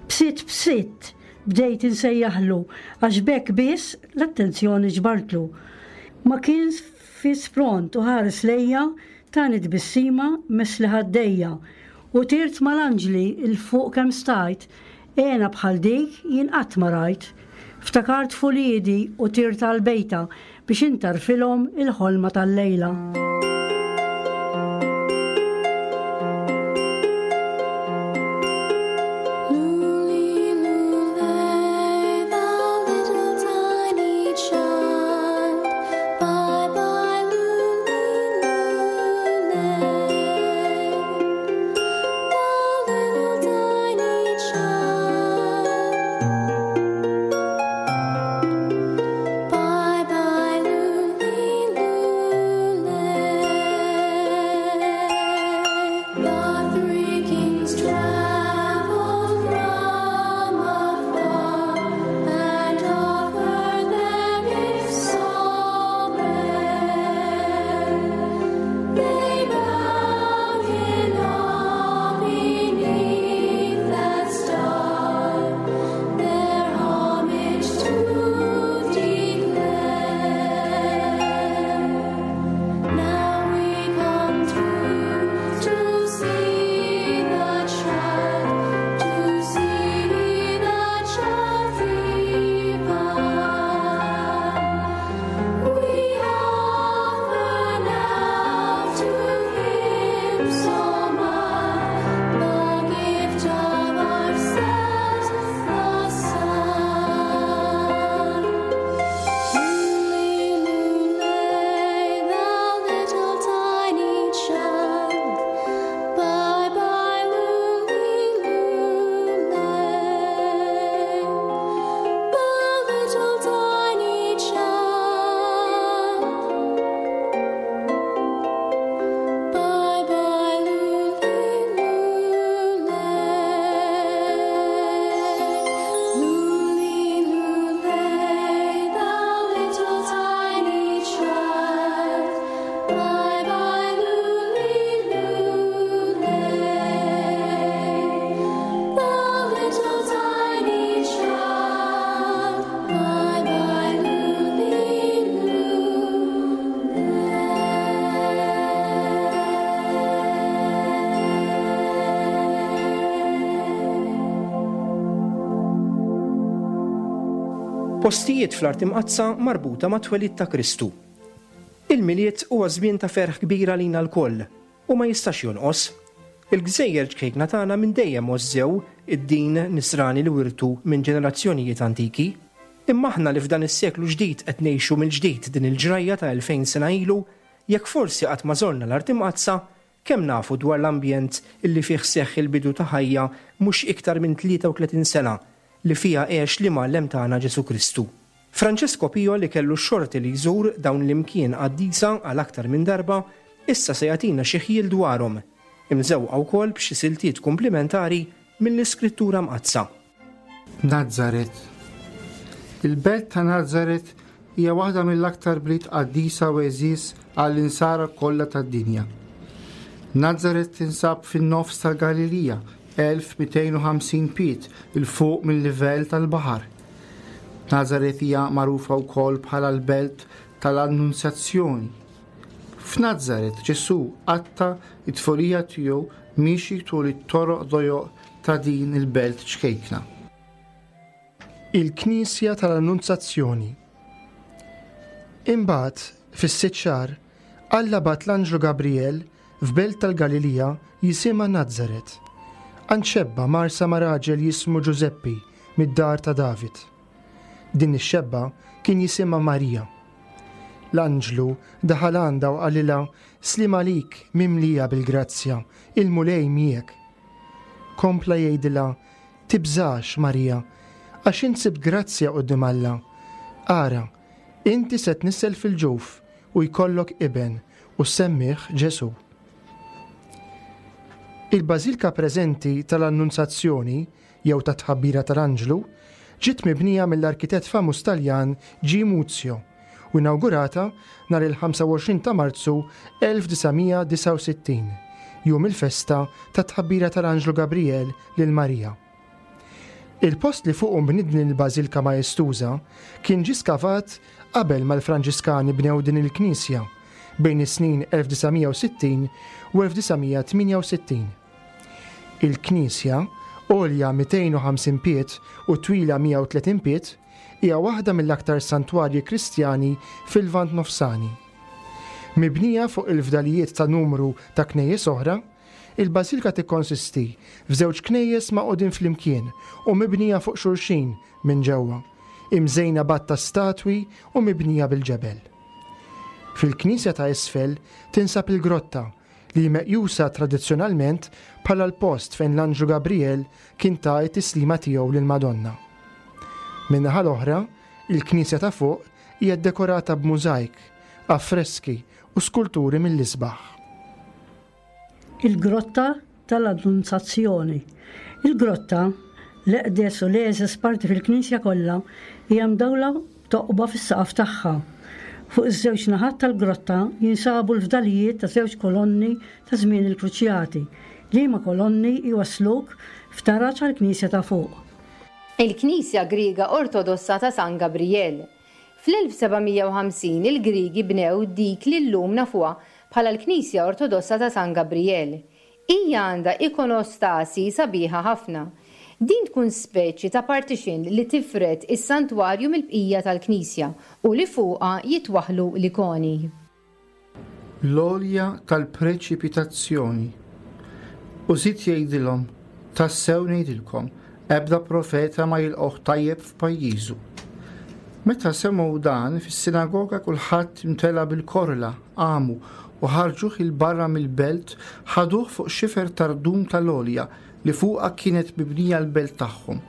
Bsitt bsitt bdejt insejjaħlu għax b'hekk biss l-attenzjoni ġbartlu. Ma kien fis pront u ħares lejja tani tbissima mesli ħaddejja u tirt mal-anġli 'l fuq kemm stajt, għena bħal dik jien qatt ma rajt. Ftakart f'uliedi u tirt għal-bejta biex intarfilhom il-ħolma tal-lejla. Luli, luley, thou little tiny child. Bye bye, luli, luley. Thou little tiny child. Bye bye, luli, luley. Postijiet fl-Art Imqaddsa marbuta mat-twelid ta' Kristu. Il-Milied huwa żmien ta' ferħ kbir għalina lkoll u ma jistax jonqos. Il-gżejjer ċkejkna tagħna minn dejjem għożżew id-din nisrani li wirtu minn ġenerazzjonijiet antiki. Imma aħna li f'dan is-seklu ġdid qed ngħixu mill-ġdid din il-ġrajja ta' elfejn sena ilu, jekk forsi qatt ma żorna l-Art Imqaddsa, kemm nafu dwar l-ambjent illi fih seħħ il-bidu ta' ħajja mhux iktar minn tlieta u tletin sena li fiha għex l-Imgħallem tagħna Ġesù Kristu. Francesco Pio li kellu x-xorti li jżur dawn l-imkien qaddisa għal aktar minn darba, issa se jagħtina xi ħjiel dwarhom, imżewqa wkoll b'xi siltiet kumplimentari mill-Iskrittura Mqaddsa. Nazaret. Il-belt ta' Nazaret hija waħda mill-aktar bliet qaddisa u għeżież għall-insara kollha tad-dinja. Nazaret tinsab fin-nofs tal-Galilija, elf mitejn u ħamsin pied 'il fuq mill-livell tal-baħar. Nazaret hija magħrufa wkoll bħala l-belt tal-Annunzjazzjoni. F'Nazaret Ġesù qatta' t-tfulija tiegħu miexi tul it-toroq dojoq ta' din il-belt ċkejkna. Il-Knisja tal-Annunzjazzjoni. Imbagħad, fis-sitt xahar, Alla bagħat l-Anġlu Gabriel f'belt tal-Galilija jisimha Nazaret. Għand xebba marsa ma' raġel jismu Ġużeppi mid-dar ta' David. Din ix-xebba kien jisimha Marija. L-anġlu daħal għandha u qalilha, Slim għalik mimlija bil-grazzja, il-Mulej miegħek. Kompla jgħidilha, Tibżax, Marija, għax int sibt grazzja quddiem Alla. Ara, inti se tnissel fil-ġuf u jkollok iben u semmih Ġesù. Il-bażilka preżenti tal-Annunzjazzjoni jew tat-tħabbira tal-Anġlu ġiet mibnija mill-arkitett famuż Taljan G. Muzio u inaugurata nhar il-ħamsa u għoxrin ta' Marzu elf disa' mija disgħa u sittin, jum il-festa tat-tħabbira tal-Anġlu Gabriel lil Marija. Il-post li fuqu nbniet din il-bażilka maestuża kien ġie skavat qabel mal-Franġiskani bnew din il-knisja bejn is-snin elf disa' mija u sittin u elf disa' mija tmienja u sittin. Il-knisja, għolja mitejn u ħamsin pied u twila mija u tletin pied, hija waħda mill-aktar santwarji Kristjani fil-Lvant Nofsani. Mibnija fuq il-fdalijiet ta' numru ta' knejjes oħra, il-bażilka tikkonsisti f'żewġ knejjes maqgħudin flimkien u mibnija fuq xulxin minn ġewwa, imżejna b'għadd ta' statwi u mibnija bil-ġebel. Fil-knisja ta' isfel tinsab il-grotta li meqjusa tradizzjonalment bħala l-post fejn l-Anġlu Gabriel kien ta t-tislima tiegħu lil Madonna. Min-naħa l-oħra, il-knisja ta' fuq hija ddekorata b'mużajk, affreski u skulturi mill-isbaħ. Il-Grotta tal-Annunzjazzjoni. Il-grotta, l-eqdes u l-eżes parti fil-knisja kollha, hija mdawla toqba fis-saqaf tagħha. Fuq iż-żewġ naħat tal-grotta jinsabu l-fdalijiet ta' żewġ kolonni ta' żmien il-Kruċjati, liema kolonni jwassluk f'taraġ għall-knisja ta' fuq. Il-Knisja Griega Ortodossa ta' San Gabriel. Fl-elf seba' mija u ħamsin il-Griegi bnew dik li llum nafuha bħala l-Knisja Ortodossa ta' San Gabriel. Hija għandha ikonostasi sabiħa ħafna. Din tkun speċi ta' partition li tifred is-santwarju mill-bqija tal-Knisja u li fuqha jitwaħħlu l-ikoni. L-għolja tal-preċipitazzjoni. U żied jgħidilhom, tassew ngħidilkom, ebda profeta ma jilqoh tajjeb f'pajjiżu. Meta semgħu dan, fis-sinagoga kulħadd imtela bil-korla, qamu u ħarġuh il barra mill-belt, ħaduh fuq xifer tardum tal-għolja li fuqha kienet mibnija l-belt tagħhom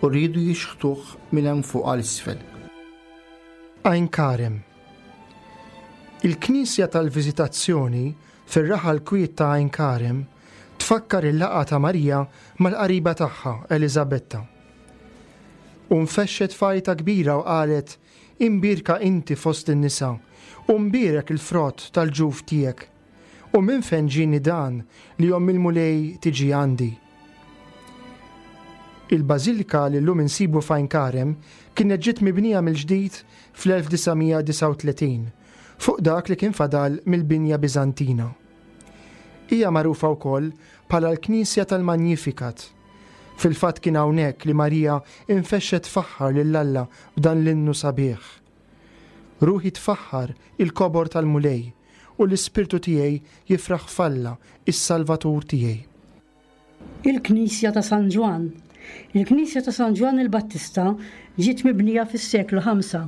u riedu jixħtuh minn hemm fuq għal isfel. Għajn Karem. Il-Knisja tal-Viżitazzjoni fir-raħal kwiet ta' Għajn Karem tfakkar il-laqgħa ta' Marija mal-qariba tagħha Eliżabetta. U nfexxet fajta kbira u qalet, Imbierka inti fost in-nisa, u mbierek il-frott tal-ġuf tiegħek. U minn fejn ġieni dan li omm il-Mulej tiġi għandi? Il-bażilika li llum insibu f'Għajn Karem kienet ġiet mibnija mill-ġdid fl-elf disa' mija disgħa u tletin fuq dak li kien fadal mill-binja Biżantina. Hija magħrufa wkoll bħala l-Knisja tal-Magnificat. Fil-fatt kien hawnhekk li Marija infexxet tfaħħar lil Alla b'dan l-innu sabiħ. Ruħi tfaħħar il-kobor tal-Mulej u l-ispirtu tiegħi jifraħ f'Alla, is-Salvatur tiegħi. Il-Knisja ta' San Ġwann. Il-Knisja ta' San Ġwann il-Battista ġiet mibnija fis-seklu ħamsa,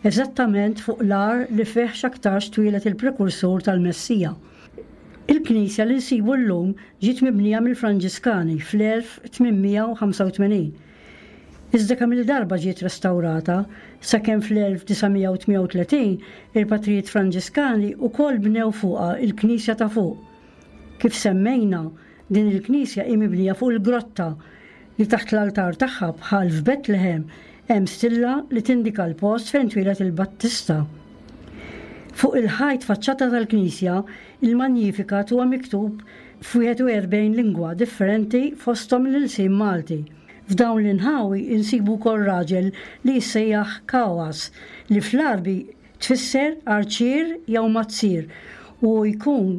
eżattament fuq l-għar li fih x'aktarx twieled il-prekursur tal-Messija. Il-Knisja li nsibu llum ġiet mibnija mill-Franġiskani fl-elf tmien mija u ħamsa u tmenin. Iżda kemm il-darba ġiet restawrata, sakemm fl-elf disa' mija u tmienja u tletin il-patrijiet Franġiskani wkoll bnew fuqha il-Knisja ta' fuq. Kif semmejna, din il-Knisja hi mibnija fuq il-grotta li taħt l-altar tagħha, bħal f'Betlehem, hemm stilla li tindika l-post fejn twieled il-Battista. Fuq il-ħajt faċċata tal-Knisja, il-Magnificat huwa miktub f'wieħed u erbgħin lingwa differenti, fosthom l-ilsien Malti. F'dawn l-inħawi insibu wkoll raġel li jissejjaħ Kawas, li fl-Għarbi tfisser arċier jew mazzir, u jkun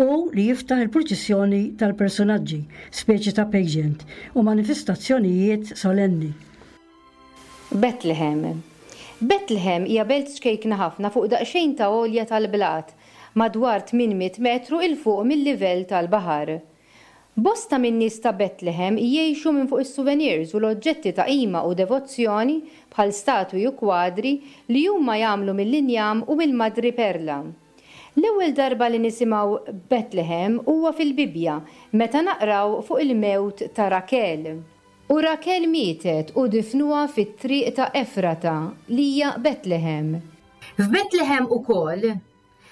u li jiftaħ il-purċissjoni tal-personaġġi, speċi ta' pageant u manifestazzjonijiet solenni. Bethlehem. Bethlehem hija belt ċkejkna ħafna fuq daqsxejn ta' għolja tal-blat, madwar tmien mitt metru 'il fuq mill-livell tal-baħar. Bosta min-nies ta' Bethlehem jgħixu minn fuq is-souvenirs u l-oġġetti ta' qima u devozzjoni bħal statwi u kwadri li huma jagħmlu mill-injam u mill-madri perla. L-ewwel darba li nisimgħu Bethlehem huwa fil-Bibbja, meta naqraw fuq il-mewt ta' Rakel. U Rakel mietet u difnuha fit-triq ta' Efrata, li hija Bethlehem. F'Bethlehem ukoll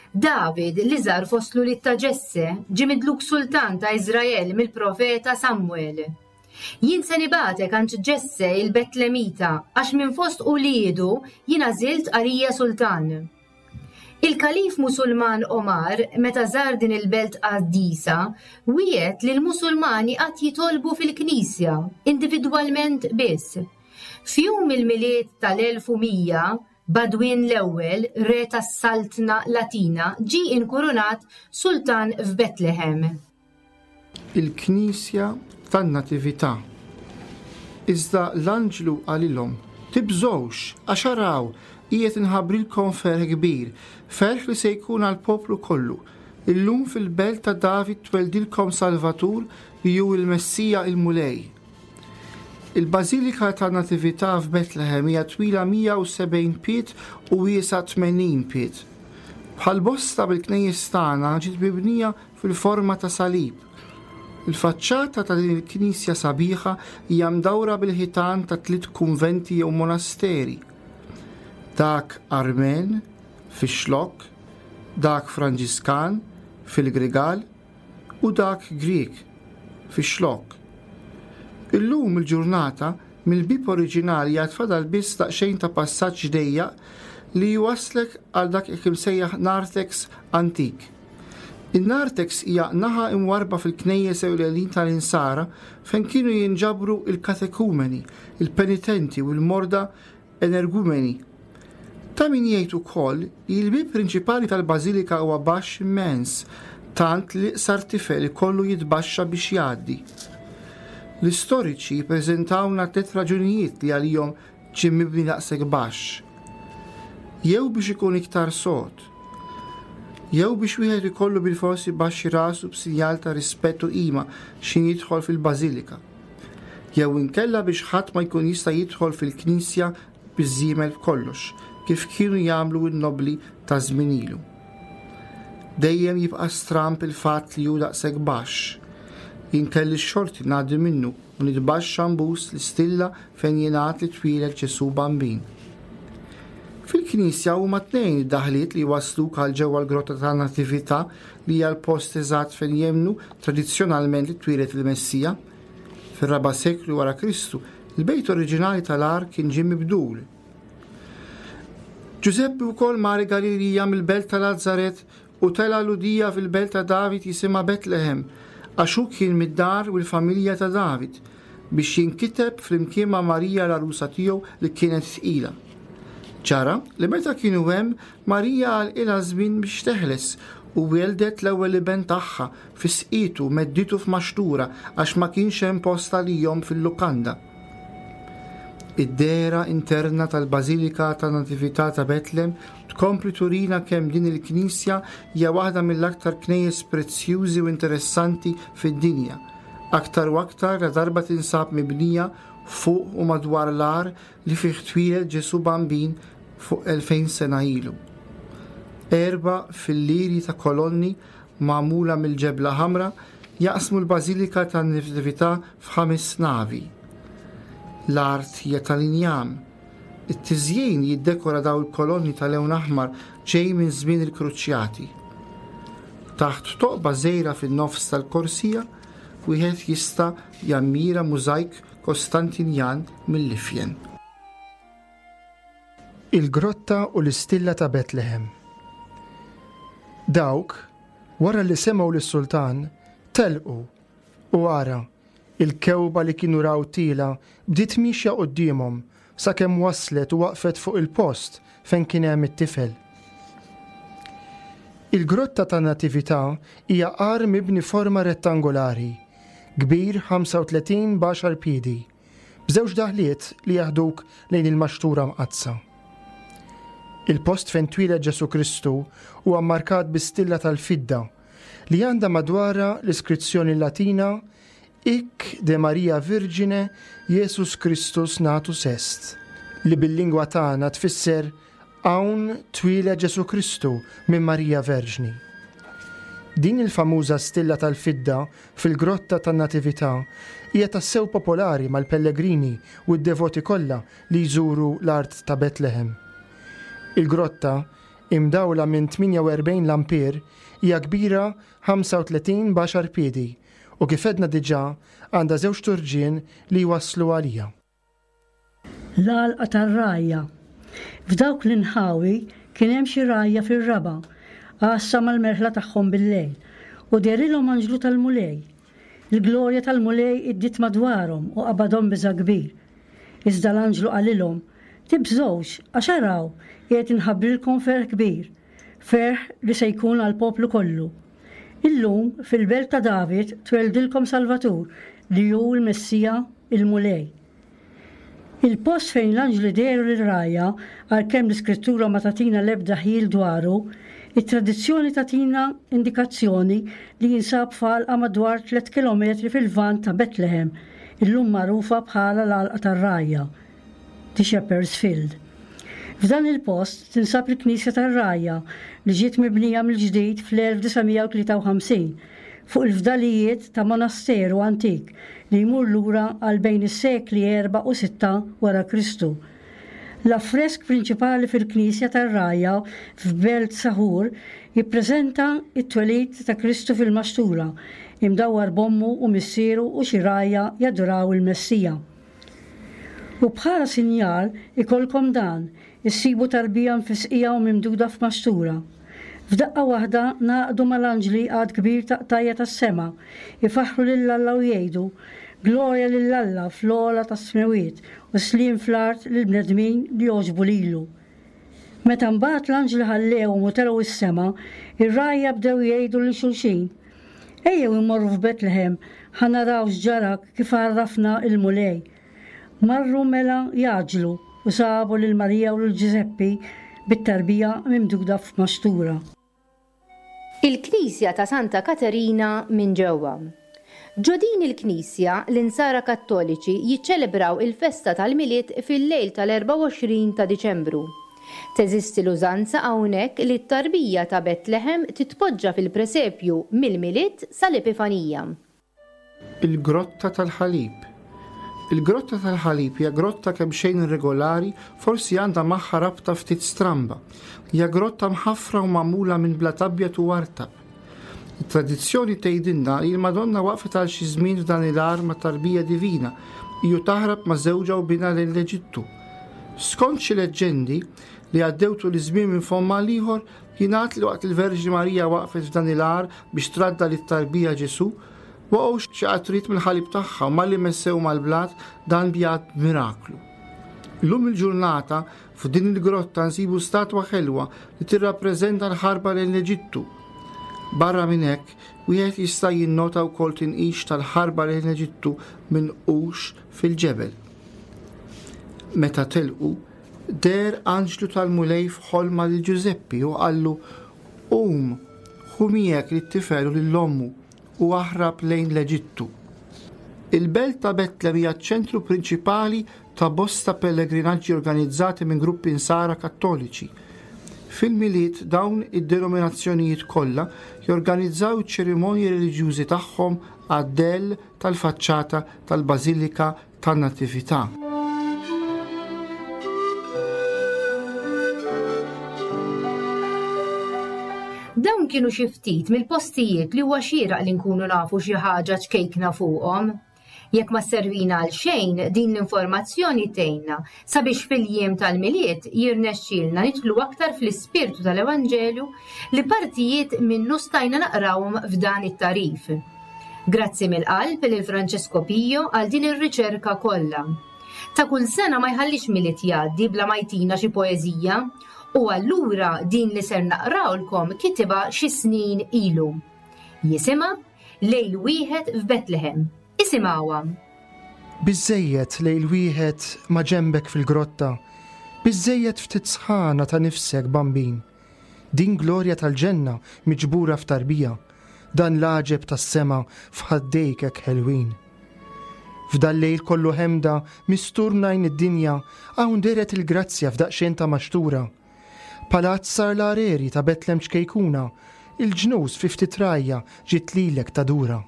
David, l-iżgħar fost l-ulied ta' Ġesse, ġie midluk sultan ta' Iżrael mill-profeta Samuel. Jien se nibagħtek għand Ġesse il-Betlemita, għax minn fost uliedu jien għażilt għalija sultan. Il-kalif Musulman Omar, meta żar din il-belt qaddisa, wiegħed li l-Musulmani qatt jitolbu fil-Knisja, individwalment biss. F'jum il-Milied tal-elf u mija, Badwin l-ewwel, re tas-Saltna Latina, ġie inkurunat sultan f'Betlehem. Il-Knisja tan-Natività. Iżda l-anġlu qalilhom: "Tibżgħux, għax araw, qiegħed inħabbrilkom ferħ kbir, ferħ li se jkun għall-poplu kollu. Illum fil-belt ta' David tweldilkom Salvatur, li hu il-Messija, il-Mulej." Il-Bażilika ta' Natività f'Betlehem hija twila mija u sebgħin pied u wiesgħa tmenin pied. Bħal bosta bil-knejjes tagħna, ġiet mibnija fil-forma ta' salib. Il-faċċata ta' din il-knisja sabiħa hija mdawra bil-ħitan ta' tliet kunventi jew monasteri. Dak Armen fix-Xlokk, dak Franġiskan fil-Grigal u dak Grieg fix-Xlokk. Illum il-ġurnata, mill-bib oriġinali għad fadal biss daqsxejn ta' passaġġ dejjaq li jwaslek għal dak imsejjaħ narthex antik. Il-narthex hija naħa imwarba fil-knejjes ewlenin tal-Insara fejn kienu jinġabru il-katekumeni, il-penitenti u l-morda energumeni. Ta' min jgħid ukoll li l-bib prinċipali tal-bażilika huwa baxx immens, tant li sar tifel ikollu jitbaxxa biex jgħaddi. L-istoriċi preżentawna tliet raġunijiet li għalihom ġie mibni daqshekk baxx. Jew biex ikun iktar sod, jew biex wieħed ikollu bil-forsi jbaxxi rasu b'sinjal ta' rispett u qima x'ħin jidħol fil-bażilika, jew inkella biex ħadd ma jkun jista' jidħol fil-knisja biż-żiemel b'kollox, kif kienu jagħmlu n-nobli ta' żmien ilu. Dejjem jibqa' stramp il-fatt li hu daqshekk baxx. Jien kelli x-xorti ngħaddi minnu u nitbaxxa nbus l-istilla fejn jingħad li twieled Ġesu Bambin. Fil-knisja huma tnejn id-daħliet li wasluk għal ġewwa l-grotta ta' Natività, li hija l-post eżatt fejn jemmnu tradizzjonalment li twieled il-Messija. Fir-raba' seklu wara Kristu, il-bejt oriġinali tal-għar kien ġie mibdul. Ġużeppi wkoll mar Galilija mill-belt ta' Lazzaret u tela Lhudija fil-belt ta' David jisimha Betlehem, għax hu kien mid-dar u l-familja ta' David, biex jinkiteb flimkien ma' Marija l-għarusa tiegħu, li kienet tqila. Ġara li meta kienu hemm, Marija għalqilha żmien biex teħles. u weldet l-ewwel iben tagħha fisqitu medditu f'maxtura għax ma kienx hemm post għalihom fil-lukanda. Id-dehra interna tal-Bażilika tan-Natività ta' Betlem tkompli turina kemm din il-knisja hija waħda mill-aktar knejjes prezzjużi u interessanti fid-dinja. Aktar u aktar la darba tinsab mibnija fuq u madwar l-għar li fih twieled Ġesù Bambin fuq elfejn sena ilu. Erba' filliri ta' kolonni magħmula mill-ġebla ħamra jaqsmu l-Bażilika tan-Natività f'ħames navi. L-art hija tal-injam. It-tiżjin li jiddekora daw il-kolonni tal-lewn aħmar ġej minn żmien il-Kruċjati. Taħt toqba żgħira fin-nofs tal-korsija wieħed jista' jammira mużajk Kostantinjan mill-Ifjen. Il-Grotta u l-Istilla ta' Betlehem. Dawk, wara li semgħu lis-sultan, telqu u ara, il-kewba li kienu raw tiela bdiet miexja quddiemhom sakemm waslet u waqfet fuq il-post fejn kien hemm it-tifel. Il-Grotta tan-Natività hija għar mibni forma rettangolari, kbir ħamsa u tletin b'għaxar piedi, b'żewġ daħliet li jaħduk lejn il-maxtura mqaddsa. Il-post fejn twieled Ġesù Kristu huwa mmarkat bi stilla tal-fidda li għandha madwarha l-iskrizzjoni Latina Hic de Maria Virgine Jesus Christus natus est, li bil-lingwa tagħna tfisser hawn twieled Ġesù Kristu minn Marija Verġni. Din il-famuża stilla tal-fidda fil-Grotta tan-Natività hija tassew popolari mal-pellegrini u d-devoti kollha li jżuru l-art ta' Betlehem. Il-grotta, imdawla minn tmienja u erbgħin lampier, hija kbira ħamsa u tletin b'għaxar piedi u kif għedna diġà għandha żewġ turġien li jwasslu għalija. L-għalqa tar-rgħajja. F'dawk l-inħawi kien hemm xi rgħajja fir-raba', għassa mal-merħla tagħhom bil-lejl, u dehrilhom anġlu tal-Mulej. Il-glorja tal-Mulej iddiet madwarhom u qabadhom biża' kbir. Iżda l-anġlu qalilhom, Tibżgħux, għax araw, qiegħed inħabbrilkom ferħ kbir, ferħ li se jkun għall-poplu kollu. Illum, fil-belt ta' David, tweldilkom Salvatur, li hu l-Messija, il-Mulej. Il-post fejn l-anġli dehru lir-rgħajja, għalkemm l-Iskrittura ma tagħtina l-ebda ħjiel dwaru, it-tradizzjoni tagħtina indikazzjoni li jinsab f'għalqa madwar tliet kilometri fil-lvant ta' Betlehem, illum magħrufa bħala l-għalqa tar-rgħajja, The Shepherd's Field. F'dan il-post tinsab il-Knisja tar-Rgħajja li ġiet mibnija mill-ġdid fl-elf disa' mija u tlieta u ħamsin fuq il-fdalijiet ta' monasteru antik li jmur lura għal bejn is-sekli erba' u sitta wara Kristu. L-affresk prinċipali fil-Knisja tar-Rgħajja f'Belt Saħur jippreżenta t-twelid ta' Kristu fil-maxtura, imdawwar b'ommu u missieru u xi rgħajja jaduraw il-Messija. U bħala sinjal ikollkom dan, issibu tarbija mfisqija u mimduda f'maxtura. F'daqqa waħda ngħaqdu mal-anġli għadd kbir ta' qtajja tas-sema, ifaħħru lil Alla u jgħidu, Glorja lil Alla fl-ogħla tas-smewwiet u sliem fl-art lill-bnedmin li jogħġbu lilu. Meta mbagħad l-anġli ħallewhom u telgħu s-sema, ir-rgħajja bdew jgħidu lil xulxin, Ejjew immorru f'Betlehem ħa naraw x'ġara kif għarrafna il-Mulej. Marru mela jgħaġġlu u sabu lil Marija u lil Ġużeppi bit-tarbija mimduda f'maxtura. Il-Knisja ta' Santa Katerina minn ġewwa. Ġo din il-Knisja, l-Insara Kattoliċi jiċċelebraw il-festa tal-Milied fil-lejl tal-erbgħa u għoxrin ta' Diċembru. Teżisti l-użanza hawnhekk li t-tarbija ta' Betlehem titpoġġa fil-presepju mill-Milied sal-Epifanija. Il-Grotta tal-Ħalib. Il-Grotta tal-Ħalib hija grotta kemm xejn irregolari, forsi għandha magħha rabta ftit stramba. Hija grotta mħaffra u magħmula minn blat abjad u artab. It-tradizzjoni tgħidilna li l-Madonna waqfet għal xi żmien f'dan il-għar ma' tarbija divina, hiju taħrab ma' żewġha u binha lejn l-Eġittu. Skont xi leġġendi li għaddew tul iż-żmien minn fomm għal ieħor, jingħad li waqt il-Verġni Marija waqfet f'dan il-għar biex tradda lit-tarbija Ġesù, waqgħu xi qatrit mill-ħalib tagħha u malli messew mal-blat dan bjad miraklu. Illum il-ġurnata f'din il-grotta nsibu statwa ħelwa li tirrappreżenta l-ħarba lejn l-Eġittu. Barra minn hekk, wieħed jista' jinnota wkoll tinqix tal-ħarba lejn l-Eġittu minqux fil-ġebel. Meta telqu, deher anġlu tal-Mulej f'ħolma lil Ġużeppi u qallu: "Qum, ħu miegħek lit-tifel u lil ommu u aħrab lejn l-Eġittu." Il-belt ta' Betlem hija ċ-ċentru prinċipali ta' bosta pellegrinaġġi organizzati minn gruppi Insara Kattoliċi. Fil-Milied dawn id-denominazzjonijiet kollha jorganizzaw iċ-ċerimonji reliġjużi tagħhom għad-dell tal-faċċata tal-Bażilika tan-Natività. Dawn kienu xi ftit mill-postijiet li huwa xieraq li nkunu nafu xi ħaġa ċkejkna fuqhom. Jekk ma sservina għal xejn, din l-informazzjoni tgħinna sabiex fil-jiem tal-Milied jirnexxielna nidħlu aktar fl-ispirtu tal-Evanġelju li partijiet minnu stajna naqrawhom f'dan it-tagħrif. Grazzi mill-qalb lil Francesco Pio għal din ir-riċerka kollha. Ta' kull sena ma jħallix Milied jgħaddi bla ma jtina xi poeżija, u allura din li ser naqrawlkom kitibha xi snin ilu. Jisimha Lejl Wieħed f'Betlehem. Isimgħuha. Biżżejjed lejl wieħed ma' ġenbek fil-grotta, biżżejjed ftit sħana ta' nifsek bambin. Din glorja tal-ġenna miġbura f'tarbija, dan l-għaġeb tas-sema f'ħaddejk hekk ħelwin. F'dal-lejl kollu ħemda mistur mnajn id-dinja, hawn dehret il-grazzja f'daqsxejn ta' maxtura. Palazz sar l-areri ta' Betlem ċkejkuna, il-ġnus fi ftit rajja ġiet lilek tadura.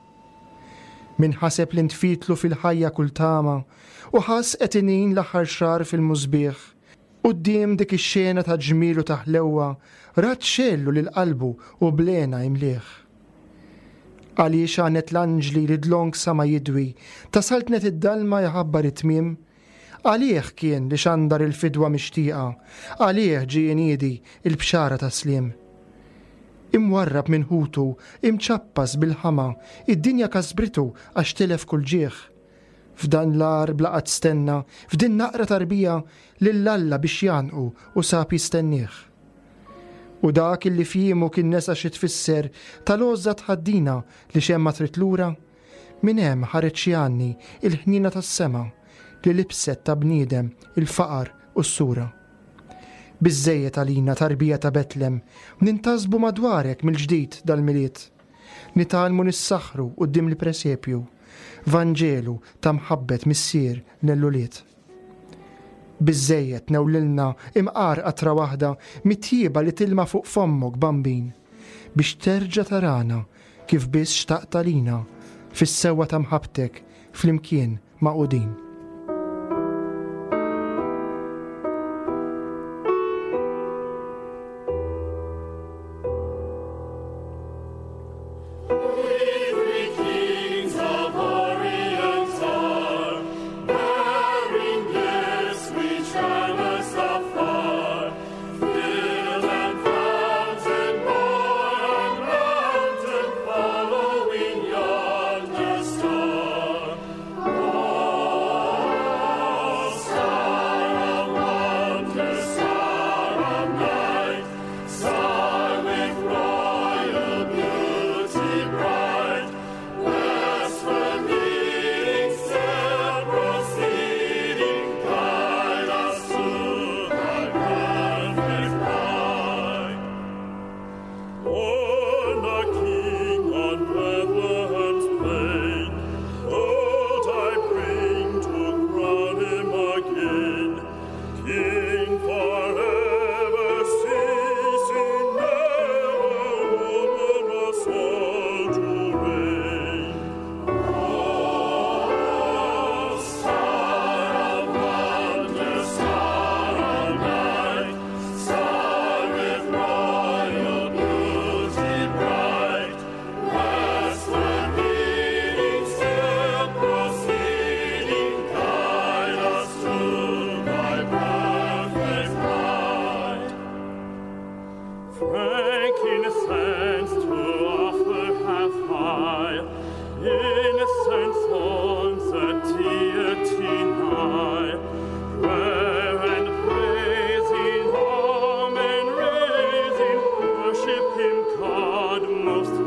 Min ħaseb li ntfitlu fil-ħajja kull tama u ħass qed inin l-aħħar xahar fil-musbieħ. Quddiem dik ix-xena ta' ġmiel u ta' ħlewwa, rat xellu lil qalbu u blena imlieħ. Għaliex għanet l-anġli li dlonk sama jidwi, ta' saltnet id-dalma jħabbar it-tmiem? Għalih kien li xandar il-fidwa mixtieqa, għalih ġie jniedi il-bxara ta' sliem. Imwarrab minn ħutu, imċappas bil-ħama, id-dinja kasbritu għax tilef kull ġieħ. F'dan l-għar bla qatt stenna, f'din naqra tarbija, lil Alla biex janqu u sab jistennieh. U dak illi fjiemu kien nesa xi tfisser tal-għożża tħaddina li xejn ma trid lura, minn hemm ħareġ jgħanni il-ħniena tas-sema li libset ta' bniedem il-faqar u s-sura. Biżżejjed għalina tarbija ta' Betlem, nintasbu madwarek mill-ġdid dal-Milied. Nitgħallmu nissaħħru quddiem il-presepju, Vanġelu ta' mħabbet missier lill-ulied. Biżżejjed newlilna imqar qatra waħda mit-tjieba li tilma fuq fommok bambin, biex terġa' tarana kif biss xtaqt għalina fis-sewwa ta' mħabbtek flimkien magħqudin. Him God most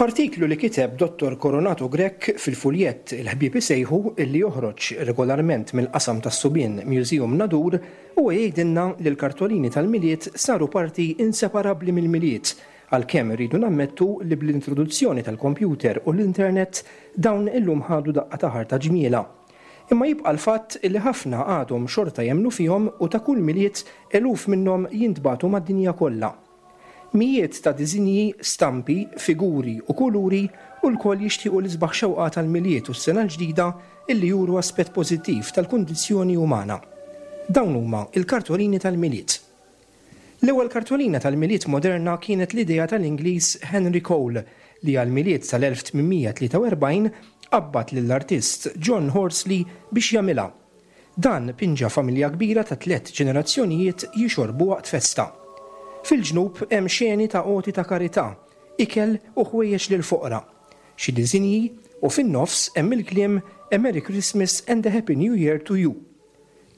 F'artiklu li kiteb Dottor Coronato Grech fil-fuljett Il-Ħbieb Isejħu, illi joħroġ regolarment mill-qasam tas-Subien Museum Nadur, huwa jgħidilna li l-kartolini tal-Milied saru parti inseparabbli mill-Milied, għalkemm irridu nammettu li bl-introduzzjoni tal-kompjuter u l-internet dawn illum ħadu daqqa ta' ħarta ġmiela. Imma jibqa' l-fatt li ħafna għadhom xorta jemmnu fihom u ta' kull Milied eluf minnhom jintbagħtu mad-dinja kollha. Mijiet ta' disinji, stampi, figuri u kuluri u lkoll jixtiequ l-isbaħ xewqa tal-Milied u s-sena l-ġdida illi juru aspett pożittiv tal-kundizzjoni umana. Dawn huma il-kartolini tal-Milied. L-ewwel kartolina tal-Milied moderna kienet l-idea tal-Ingliż Henry Cole, li għal-Milied tal-elf tmien mija tlieta u erbgħin qabbad lill-artist John Horsley biex jagħmilha. Dan pinġa familja kbira ta' tliet ġenerazzjonijiet jixorbu waqt festa. Fil-ġnub hemm xeni ta' għoti ta' karità, ikel u ħwejjeġ lil foqra. Xi disinji u fin-nofs hemm il-kliem "A Merry Christmas and a Happy New Year to you".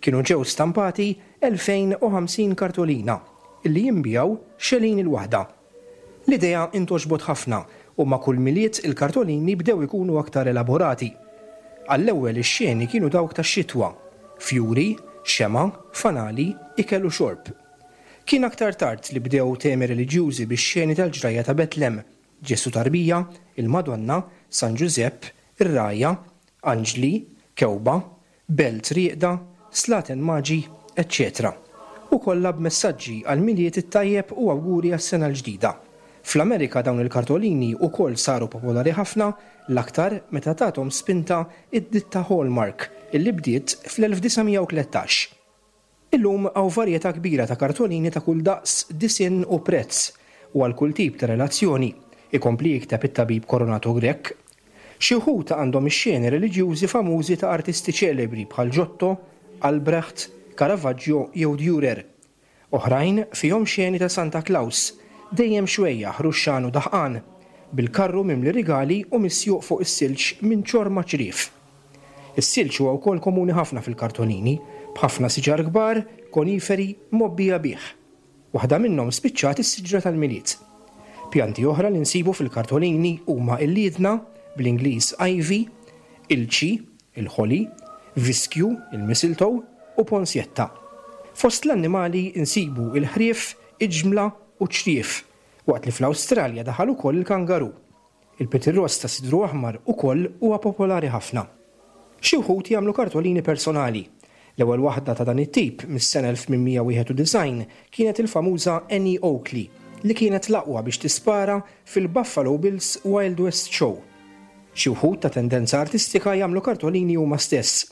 Kienu ġew stampati elfejn u ħamsin kartolina illi jinbiegħu xelin il-waħda. L-idea intgħoġbot ħafna u ma' kull Milied il-kartolini bdew ikunu aktar elaborati. Għall-ewwel ix-xeni kienu dawk tax-xitwa, fjuri, xema, fanali, ikel u xorb. Kien aktar tard li bdew temi reliġjużi bix-xeni tal-ġrajja ta' Betlem, Ġesu tarbija, il-Madonna, San Ġużepp, ir-rgħajja, anġli, kewba, belt rieqda, slaten maġi, eċċetera. U kollha b'messaġġi għal Milied it-tajjeb u awguri għas-sena l-ġdida. Fl-Amerika dawn il-kartolini ukoll saru popolari ħafna, l-aktar meta tathom spinta id-ditta Hallmark illi bdiet fl-elf disa' mija u tlettax. Illum hawn varjetà kbira ta' kartolini ta' kull daqs, disinn u prezz u għal kull tip ta' relazzjoni, ikompli jikteb it-tabib Coronato Grech. Xi wħud għandhom ix-xeni reliġjużi famużi ta' artisti ċelebri bħal Giotto, Albrecht, Caravaggio jew Dürer. Oħrajn fihom xeni ta' Santa Claus, dejjem xwejjaħ, ruxxan u daħqan, bil-karru mimli rigali u misjuq fuq is-silġ minn ċorma ċriev. Is-silġ huwa wkoll komuni ħafna fil-kartolini, b'ħafna siġar kbar, koniferi, mgħobbija bih. Waħda minnhom spiċċat is-siġra tal-Milied. Pjanti oħra li nsibu fil-kartolini huma il-liedna, bl-Ingliż ivy, il-ċi, il-holly, viskju, il-mistletoe u ponsjetta. Fost l-annimali nsibu il-ħrief, iġmla u ċriev, waqt li fl-Awstralja daħal ukoll il-kangaru. Il-pitirross ta' sidru aħmar ukoll huwa popolari ħafna. Xi wħud jagħmlu kartolini personali. L-ewwel waħda ta' dan it-tip mis-sena elf tmien mija wieħed u disgħin kienet il-famuża Annie Oakley, li kienet l-aqwa biex tispara fil-Buffalo Bills Wild West Show. Xi wħud ta' tendenza artistika jagħmlu kartolini huma stess.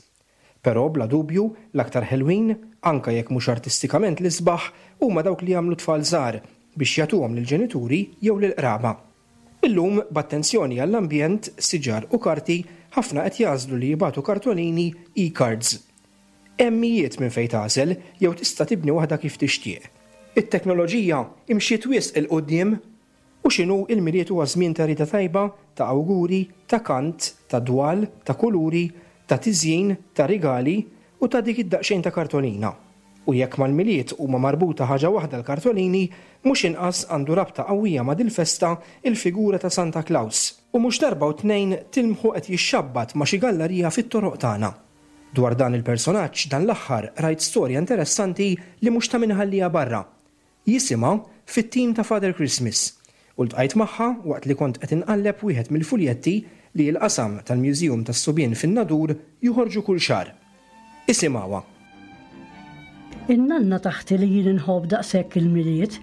Però bla dubju l-aktar ħelwin, anka jekk mhux artistikament l-isbaħ, huma dawk li jagħmlu tfal żgħar biex jagħtuhom lill-ġenituri jew lill-qraba. Illum, b'attenzjoni għall-ambjent, siġar u karti, ħafna qed jagħżlu li jibagħtu kartolini e-cards. Hemm mijiet minn fejn tagħżel jew tista' tibni waħda kif tixtieq. It-teknoloġija imxiet wisq 'il quddiem u x'inhu, il-Milied huwa żmien ta' rieda tajba, ta' awguri, ta' kant, ta' dwal, ta' kuluri, ta' tiżjin, ta' rigali u ta' dik id-daqsxejn ta' kartolina. U jekk mal-Milied huma marbuta ħaġa waħda l-kartolini, mhux inqas għandu rabta qawwija ma' dil-festa il-figura ta' Santa Claus. U mhux darba u tnejn tilmħu qed jixxabbat ma' xi gallerija fit-toroq tagħna. Dwar dan il-personaġġ dan l-aħħar rajt storja interessanti li mhux ta' min iħalliha barra. Jisimha "Fit-Tim ta' Father Christmas" u ltqajt magħha waqt li kont qed inqalleb wieħed mill-fuljetti li l-qasam tal-Museum tas-Subien fin-Nadur joħorġu kull xahar. Isimgħuha. In-nanna t'aħti li jien inħobb daqshekk il-Milied,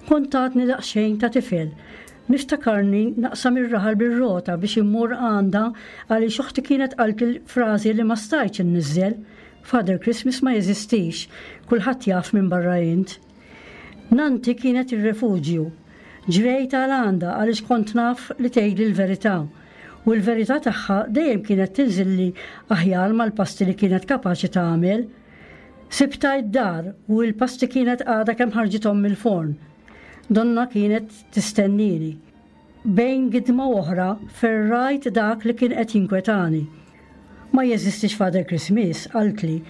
kont għadni daqsxejn ta' tifel. Niftakarni naqsam ir-raħal bir-rota biex immur għandha għaliex oħti kienet qalt il-frażi li ma stajtx inniżżel. "Father Christmas ma jeżistix, kulħadd jaf minn barra int." Nanti kienet ir-refuġju. Ġrejt għal għandha għaliex kont naf li tgħidli l-verità. U l-verità tagħha dejjem kienet tinżilli aħjar mal-pasti li kienet kapaċi tagħmel. Sibtha id-dar u l-pasti kienet għadha kemm ħarġithom mill-forn. Donnha kienet tistennini. Bejn gidma oħra ferrajt dak li kien qed jinkwetani. "Ma jeżistix Father Christmas," qaltli.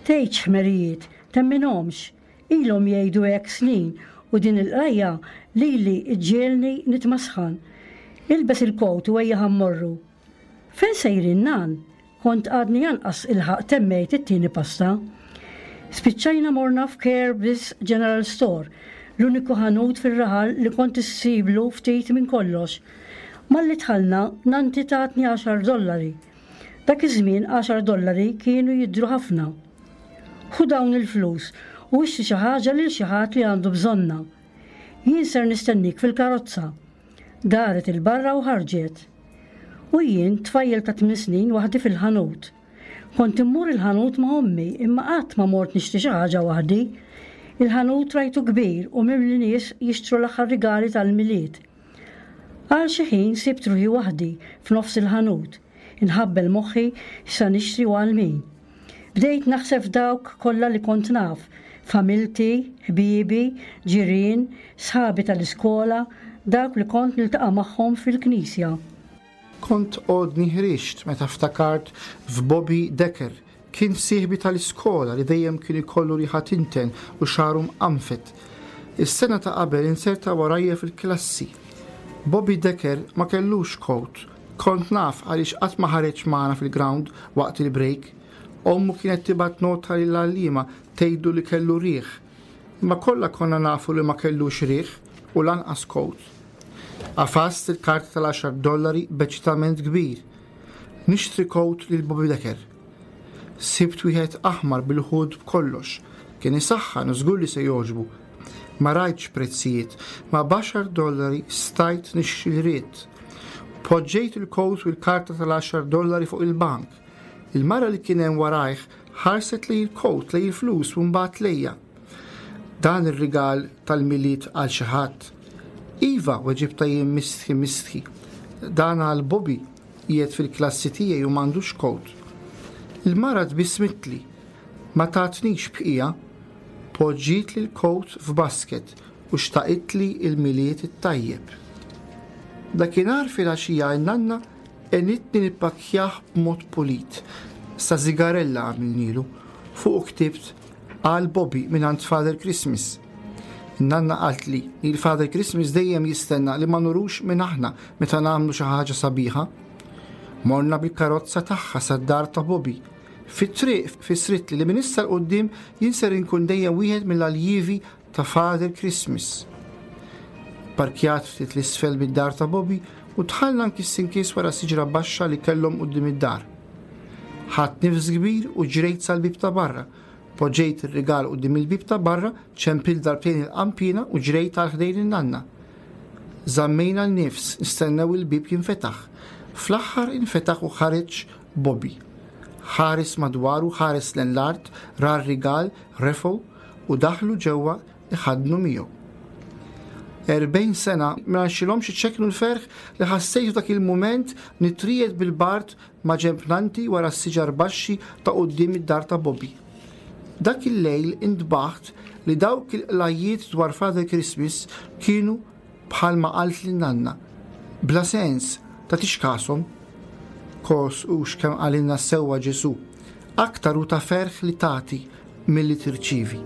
"Tgħidx ħmerijiet, temminhomx. Ilhom jgħidu hekk snin u din il-qrajja lili iġġiegħelni nitmasħan. Ilbes il-kowt u ejja ħa mmorru. Fejn sejrin, nan? Kont għadni anqas ilħaqt temmejt it-tieni pasta. Spiċċajna morna f'Kirby's General Store, l-uniku ħanut fir-raħal li kont issiblu ftit minn kollox. Malli dħalna, nanti tatni għaxar dollari. Dak iż-żmien għaxar dollari kienu jidhru ħafna. Ħu dawn il-flus u ixtri xi ħaġa lil xi ħadd li għandu bżonnha. Jien ser nistennik fil-karozza. Daret 'il barra u ħarġet. U jien tfajjel ta' tmien snin waħdi fil-ħanut. Kont immur il-ħanut ma' ommi imma qatt ma mort nixtri xi ħaġa waħdi. Il-ħanut rajtu kbir u mimli nies jixtru l-aħħar rigali tal-Milied. Għal xi ħin sibt ruħi waħdi f'nofs il-ħanut, inħabbel moħħi x'sa nixtri u għal min. Bdejt naħseb f'dawk kollha li kont naf, familti, ħbiebi, ġirien, sħabi tal-iskola, dawk li kont niltaqa' magħhom fil-knisja. Kont għodni ħriġt meta ftakart f'Bobby Decker. Kien sieħbi tal-iskola li dejjem kien ikollu riħa tinten u xagħru mqanfed. Is-sena ta' qabel inserta warajja fil-klassi. Bobby Decker ma kellux kowt. Kont naf għaliex qatt ma ħareġ magħna fil-ground waqt il-break. Ommu kienet tibgħat nota lill-għalliema tgħidlu li kellu riħ. Imma kollha konna nafu li ma kellux riħ u lanqas kowt. Għafast il-karta tal-għaxar dollari b'eċitament kbir. Nixtri kowt lil Bobby Decker. Sibt wieħed aħmar bil-hood b'kollox. Kien isaħħan u żgur li se jogħġbu. Ma rajtx prezzijiet, ma b'għaxar dollari stajt nixtri li ridt. Poġġejt il-kowt u l-karta tal-għaxar dollari fuq il-bank. Il-mara li kien hemm warajh ħarset lejn il-kowt, lejn il-flus u mbagħad lejja. Dan ir-rigal tal-Milied għal xi ħadd. Iva, weġibtha jien mistħi mistħi. Dan għal Bobby, qiegħed fil-klassi tiegħi u m'għandux kowt. Il-mara tbissmitli, ma tatnix bqija, poġġietli l-kowt f'basket u xtaqitli il-Milied it-tajjeb. Dakinhar filgħaxija n-nanna għenitni nippakkjah b'mod pulit. Sa zigarella għamilnilu, fuq ktibt għal Bobby minn Father Christmas. Nanna qaltli li l-Father Christmas dejjem jistenna li ma nurux min aħna meta nagħmlu xi ħaġa sabiħa. Morna bil-karozza tagħha sad-dar ta' Bobby. Fit-triq fissritli li minn issa 'l quddiem jien ser inkun dejjem wieħed mill-aljievi ta' Father Christmas. Parkjat ftit 'l isfel bid-dar ta' Bobby u dħalna nkiss inkiss wara siġra baxxa li kellhom quddiem id-dar. Ħadt nifs kbir u ġrejt sal-bib ta' barra. Poġġejt ir-rigal quddiem il-bib ta' barra, ċempilt darbtejn il-qampina u ġrejt għal ħdejn in-nanna. Żammejna l-nifs, nistennew il-bib jinfetaħ. Fl-aħħar infetaħ u ħareġ Bobby. Ħares madwaru, ħares lejn l-art, ra r-rigal, refgħu u daħlu ġewwa iħadnu miegħu. Erbgħin sena ma rnexxilhomx iċekknu l-ferħ li ħassejt dak il-mument nitriegħed bil-bard ma' ġenb nannti wara s-siġar baxxi ta' quddiem id-dar ta' Bobby. Dak il-lejl intbaħt li dawk il-qlajjiet dwar Father Christmas kienu bħalma qaltli nanna. Bla sens, tagħtix kashom. Kos hux kemm qalilna sewwa Ġesù. Aktar hu ta' ferħ li tagħti milli tirċievi.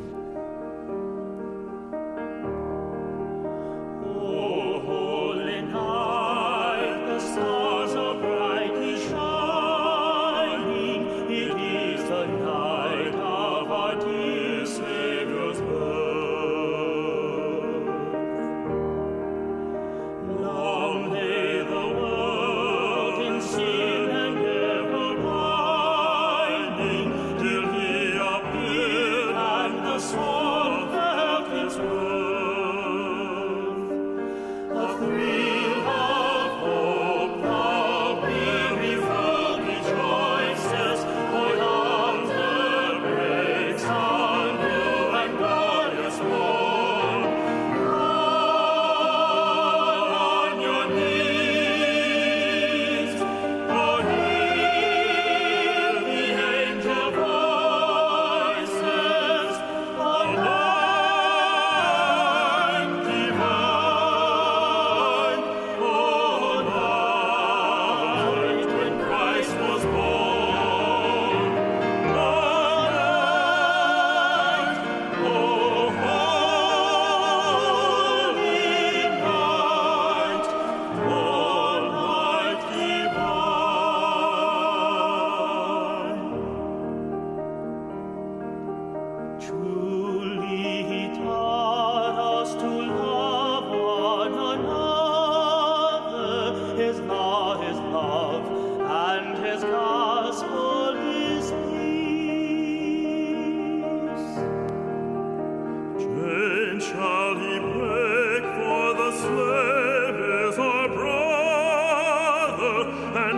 O holy night, the stars are brightly shining. It is the night of our dear Savior's birth. Long lay the world in sin and error pining, till he appeared and the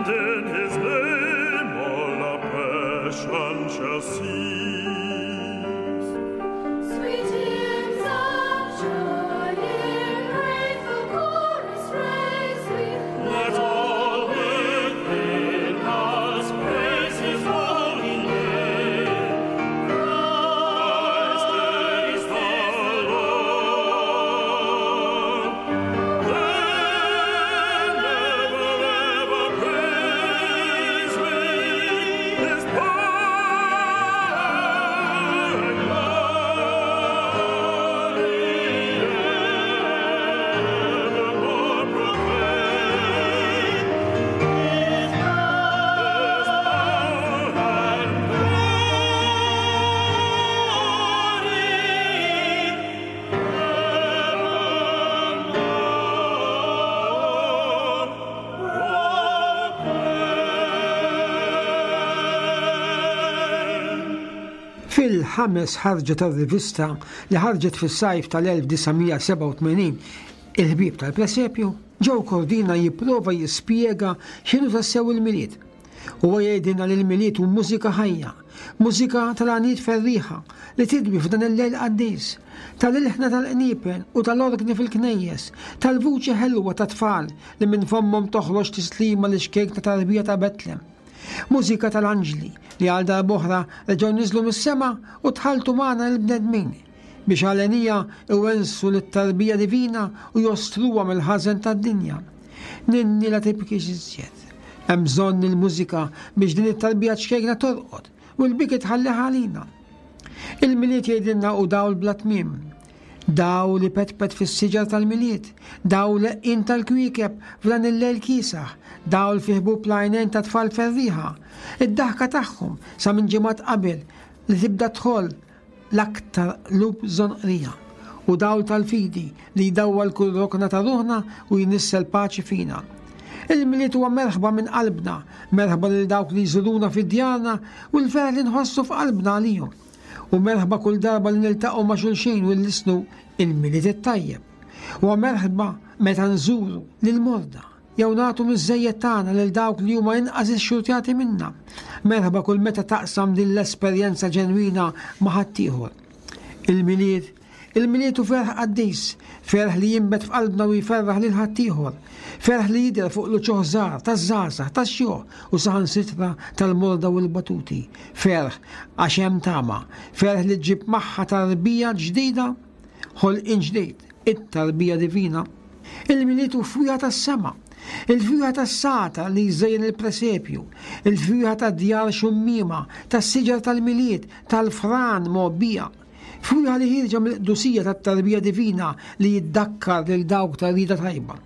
And in his name all oppression shall cease. Sweet hymns of joy in grateful chorus raise we. Let all within us praise his holy name. Christ is the Lord. Then ever, ever praise we his power and glory evermore proclaim. His power and glory evermore proclaim. Fil-ħames ħarġa tar-rivista li ħarġet fis-sajf tal-elf disa' mija sebgħa u tmenin, Il-Ħbieb tal-Presepju, Joe Cordina jipprova jispjega x'inhu tassew il-Milied. Huwa jgħidilna li l-Milied hu mużika ħajja, mużika tal-għaniet ferrieħa li tidwi f'dan il-lejl qaddis, tal-ilħna tal-qniepen u tal-orgni fil-knejjes, tal-vuċi ħelwa ta' tfal li minn fommhom toħroġ tislima li xkejk ta' tarbija ta' Betlem. Mużika tal-anġli li għal darb'oħra reġgħu niżlu mis-sema u tħaltu magħna l-bnedmin biex għalenija iwensu lit-tarbija divina u jostruha mill-ħażen tad-dinja. Ninni la tibkix iżjed. Hemm bżonn il-mużika biex din it-tarbija ċkejkna torqod u l-biki tħalliha għalina. Il-Milied jgħidilna u dawl bla tmiem. Dawl li petpet fis-siġar tal-Milied, dawl leqin tal-kwiekeb f'dan il-lejl kiesaħ, dawl fi ħbub l-għajnejn ta' tfal ferrieħa, id-daħka tagħhom sa minn ġimgħat qabel li tibda tħoll l-aktar qlub żonqrija, u dawl tal-fidi li jdawwal kull rokna ta' ruħna u jnissel paċi fina. Il-Milied huwa merħba minn qalbna, merħba lil dawk li jżuruna fid-djarna u l-ferħ li nħossu f'qalbna għalihom. U merħba kull darba li niltaqgħu ma' xulxin u nlisnu il-Milied it-tajjeb. Huwa merħba meta nżuru lil morda jew nagħtu miż-żejjed tagħna lil dawk li huma inqas ixxurtjati minna. Merħba kull meta taqsam din l-esperjenza ġenwina ma' ħaddieħor. Il-Milied, il-Milied hu ferħ qaddis, ferħ li jinbet f'qalbna u jferraħ lil ħaddieħor, ferħ li jidher fuq l-uċuħ żgħar taż-żgħażagħ, tax-xjuħ u saħansitra tal-morda u l-batuti. Ferħ għax hemm tama, ferħ li ġġib magħha tarbija ġdida, ħolqien ġdid, it-tarbija divina. Il-Milied hu fwieħa tas-sema, il-fwieħa tas-sata li jżejjen il-presepju, il-fwieħa tad-djar xummiema, tas-siġar tal-Milied, tal-fran mgħobbija. Fwieħa li ħierġa mill-qdusija tat-tarbija divina li jiddakkar lil dawk ta' rida tajba.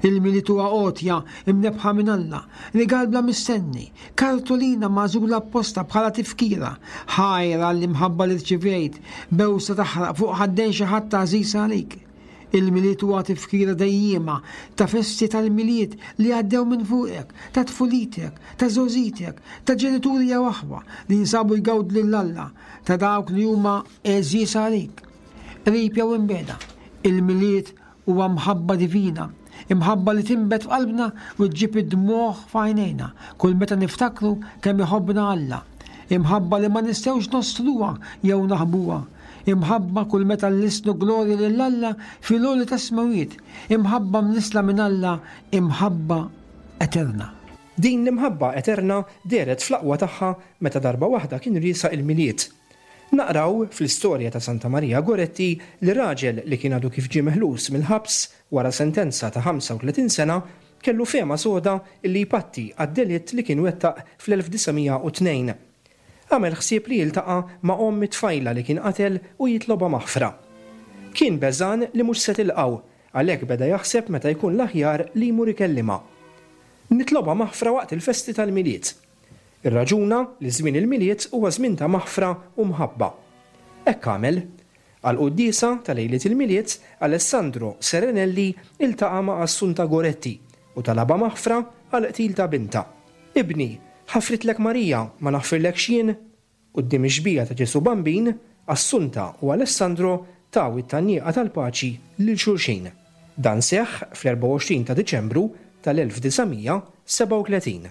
Il-Milied huwa għotja imnebħa minn Alla, rigal bla mistenni, kartolina magħżula apposta bħala tifkira, ħajra l-imħabba li rċivejt, bewsa taħraq fuq ħaddejn xi ħadd għażiż għalik. Il-Milied huwa tifkira dejjiema ta' festi tal-Milied li għaddew minn fuqek, ta' tfulitek, ta' żgħożitek, ta' ġenituri jew aħwa li jinsabu jgawdu lil Alla, ta' dawk li huma għeżież għalik. Qrib jew imbeda, il-Milied huwa mħabba divina, imħabba li tinbet f'qalbna u ġġib id-dmugħ f'għajnejna kull meta niftakru kemm iħobbna Alla, imħabba li ma nistgħux nostruha jew naħbuha, imħabba kull meta nlisnu glorja lil Alla fil-għoli tas-smawiet, imħabba mnisla minn Alla, imħabba eterna. Din l-imħabba eterna dehret fl-aqwa tagħha meta darba waħda kien riesaq il-Milied. Naqraw fl-istorja ta' Santa Maria Goretti li raġel li kien għadu kif ġie meħlus mill-ħabs wara sentenza ta' ħamsa u tletin sena kellu fehma soda li jpatti għad-delitt li kien wettaq fl-elf disa' mija u tnejn. Għamel ħsieb li jiltaqa' ma' omm it-tfajla li kien qatel u jitloba maħfra. Kien beżan li mhux se tilqgħu, għalhekk beda jaħseb meta jkun l-aħjar li jmur ikellimha. Nitloba maħfra waqt il-festi tal-Milied. Ir-raġuna li żmien il-Milied huwa żmien ta' maħfra u mħabba. Hekk għamel. Għal-quddiesa ta' lejliet il-Milied, Alessandro Serenelli iltaqa' ma' Assunta Goretti u talaba maħfra għal qtil ta' binta. Ibni, ħafritlek Marija, ma naħfirlekx jien? Quddiem ix-xbieha ta' Ġesu Bambin, Assunta u Alessandro taw it-tgħanniqa tal-paċi lil xulxin. Dan seħħ fl-erbgħa u għoxrin ta' Diċembru tal-elf disa' mija sebgħa u tletin.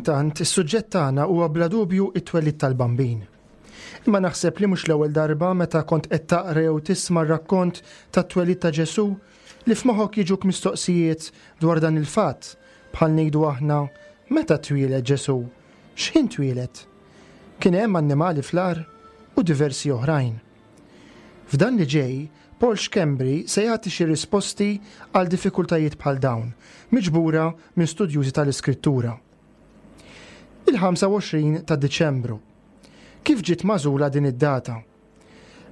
Intant, is-suġġett tagħna huwa bla dubju it-twelid tal-Bambin. Imma naħseb li mhux l-ewwel darba meta kont qed taqra jew tisma' r-rakkont tat-twelid ta' Ġesù li f'moħħok jiġuk mistoqsijiet dwar dan il-fatt, bħal ngħidu aħna meta twieled Ġesù, x'ħin twieled, kien hemm annimali fl-għar u diversi oħrajn. F'dan li ġej, Paul Schembri se jagħti xi risposti għal diffikultajiet bħal dawn, miġbura minn studjużi tal-Iskrittura. Il-ħamsa u għoxrin ta' Diċembru. Kif ġiet magħżula din id-data?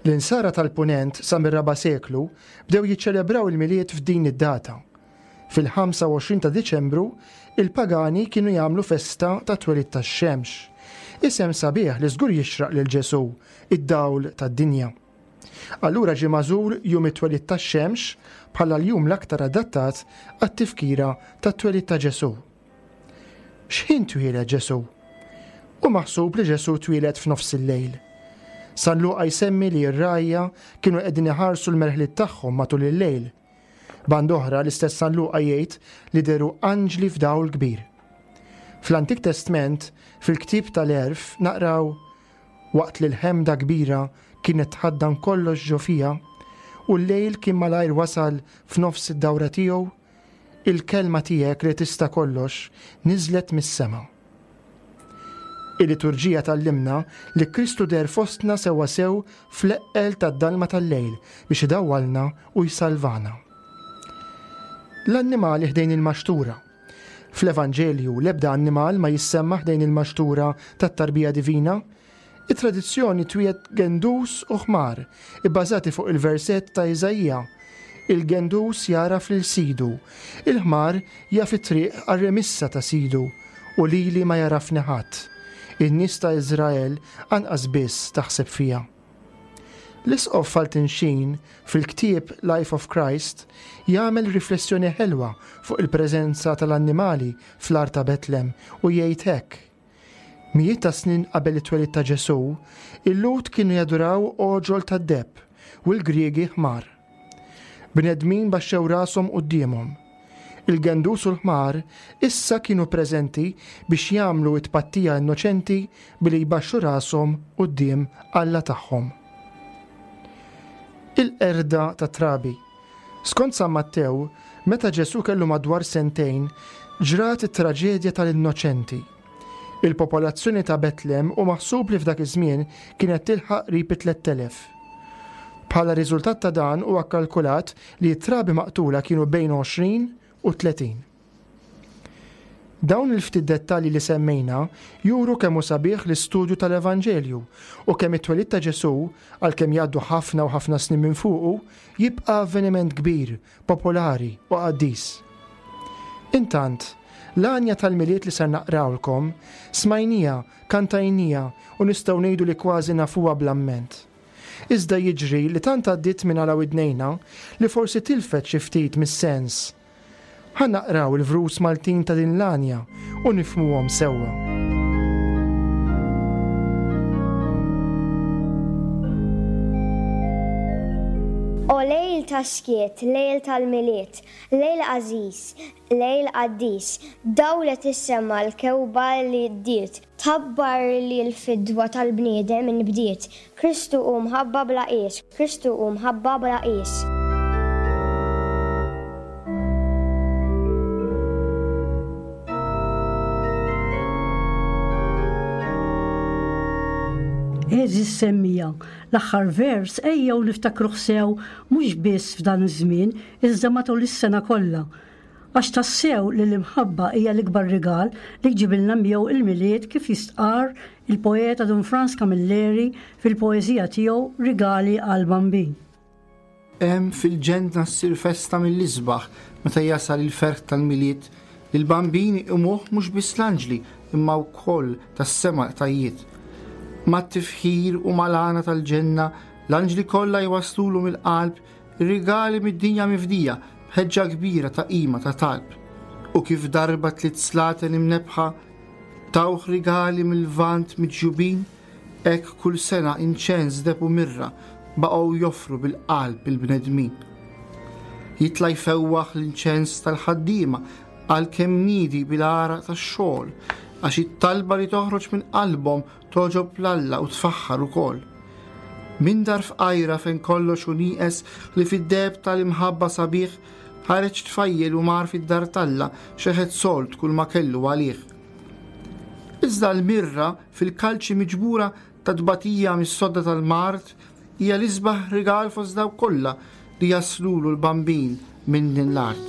L-insara tal-Punent sa mir-raba' seklu bdew jiċċelebraw il-Milied f'din id-data. Fil-ħamsa u għoxrin ta' Diċembru, il-pagani kienu jagħmlu festa ta' twelid tax-xemx. Isem sabiħ li żgur jixraq lil Ġesù, id-dawl tad-dinja. Allura ġie magħżul jum it-twelid tax-xemx bħala l-jum l-aktar adattat għat-tifkira tat-twelid ta' Ġesù. X'ħin twieled Ġesù? U maħsub li Ġesù twieled f'nofs il-lejl. San Luqa jsemmi li r-rgħajja kienu qegħdin iħarsu l-merħliet tagħhom matul il-lejl. Band oħra l-istess San Luqa jgħid li deru anġli f'dawl kbir. Fl-Antik Testment, fil-ktieb tal-Għerf, naqraw waqt li l-ħemda kbira kienet tħaddan kollox ġo fija u l-lejl kien malajr wasal f'nofs id-dawra tiegħu, il-kelma tiegħek li tista' kollox niżlet mis-sema. Il-liturġija tallimna li Kristu der fostna sewwasew fl-eqqel tad-dalma tal-lejl biex idawwalna u jsalvana. L-annimali ħdejn il-maxtura. Fl-Evanġelju l-ebda annimal ma jissemma ħdejn il-maxtura tat-tarbija divina. It-tradizzjoni twiet gendus u ħmar, ibbażati fuq il-verset ta' Iżaija. Il-gendus jaraf lil sidu, il-ħmar jaf it-triq għar-remissa ta' sidu, u lili ma jarafni ħadd. In-nies ta' Iżrael anqas biss taħseb fija. L-Isqof Fulton Sheen fil-ktieb Life of Christ jagħmel riflessjoni ħelwa fuq il-preżenza tal-annimali fl-art ta' Betlem u jgħid hekk. Mijiet ta' snin qabel it-twelid ta' Ġesù, il-Lhud kienu jaduraw għoġol tad-deheb u l-Griegi ħmar. Bnedmin baxxew rashom quddiemhom. Il-gendus u l-ħmar issa kienu preżenti biex jagħmlu it-tpattija innoċenti billi jbaxxu rashom quddiem Alla tagħhom. Il-qerda ta' trabi. Skont San Mattew, meta Ġesu kellu madwar sentejn, ġrat it-traġedja tal-innoċenti. Il-popolazzjoni ta' Betlem u maħsub li f'dak iż-żmien kienet tilħaq qrib tliet elef. Bħala riżultat ta' dan huwa kkalkulat li t-trabi maqtula kienu bejn għoxrin u tletin. Dawn il-ftit dettalji li semmejna juru kemm hu sabiħ l-istudju tal-Evanġelju u kemm it-twelid ta' Ġesu, għalkemm jgħaddu ħafna u ħafna snin minn fuqu, jibqa' avveniment kbir, popolari u qaddis. Intant, l-għanja tal-Milied li ser naqrawlkom smajnija, kantajnija u nistgħu ngħidu li kważi nafuha bl-amment. Iżda jiġri li tant għaddiet minn għala widnejna li forsi tilfet xi ftit mis-sens. Ħa naqraw il-vrus Maltin ta' din l-għanja u nifhmuhom sewwa. O lejl ta' skiet, lejl tal-Milied, lejl għażiż, lejl qaddis, dawlet is-sema l-kewba li ddiet, tħabbar li l-fidwa tal-bniedem inbdiet. Kristu hu mħabba bla qies, Kristu hu mħabba bla qies. Għeżież semmija, l-aħħar vers ejjew niftakruh sew mhux biss f'dan iż-żmien, iżda matul is-sena kollha. Għax tassew li l-imħabba hija l-ikbar rigal li jġibilna miegħu il-Milied kif jistqar il-poeta Dun Frans Camilleri fil-poeżija tiegħu Rigali għal Bambin. Hemm fil-ġenna ssir festa mill-isbaħ meta jasal il-ferħ tal-Milied li l-bambini imuh mhux biss l-anġli imma wkoll tas-sema qtajjiet. Mat-tifħir u mal-għana tal-ġenna, l-anġli kollha jwaslulu mill-qalb ir-rigali mid-dinja mifdija b'ħeġġa kbira ta' qima ta' talb. U kif darba tliet slaten imnebħa tawh rigali mill-vant miġjubin, hekk kull sena inċens deb u mirra baqgħu joffru bil-qalb il-bnedmin. Jitla' jfewwaħ l-inċens tal-ħaddiema għalkemm nidi bil-għaraq tax-xogħol, għax it-talba li toħroġ minn qalbhom toġob l-Alla u tfaħħar ukoll. Minn dar fqajra fejn kollox hu nieqes li fid-deheb tal-imħabba sabiħ, ħareġ tfajjel u mar fid-dar t'Alla xeħet sold kull ma kellu għalih. Iżda l-mirra fil-kalċi miġbura ta' tbatija mis-sodda tal-mart hija l-isbaħ rigal fost dawk kollha li jaslulu l-bambin minn din l-art.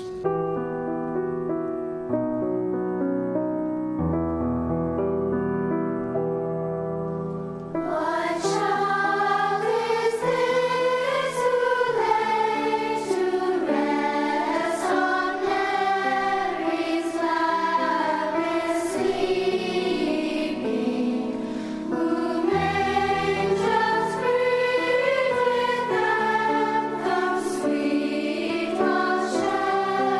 What child is this who lays to rest on Mary's lap is sleeping, whom angels greet with anthem sweet, while shepherds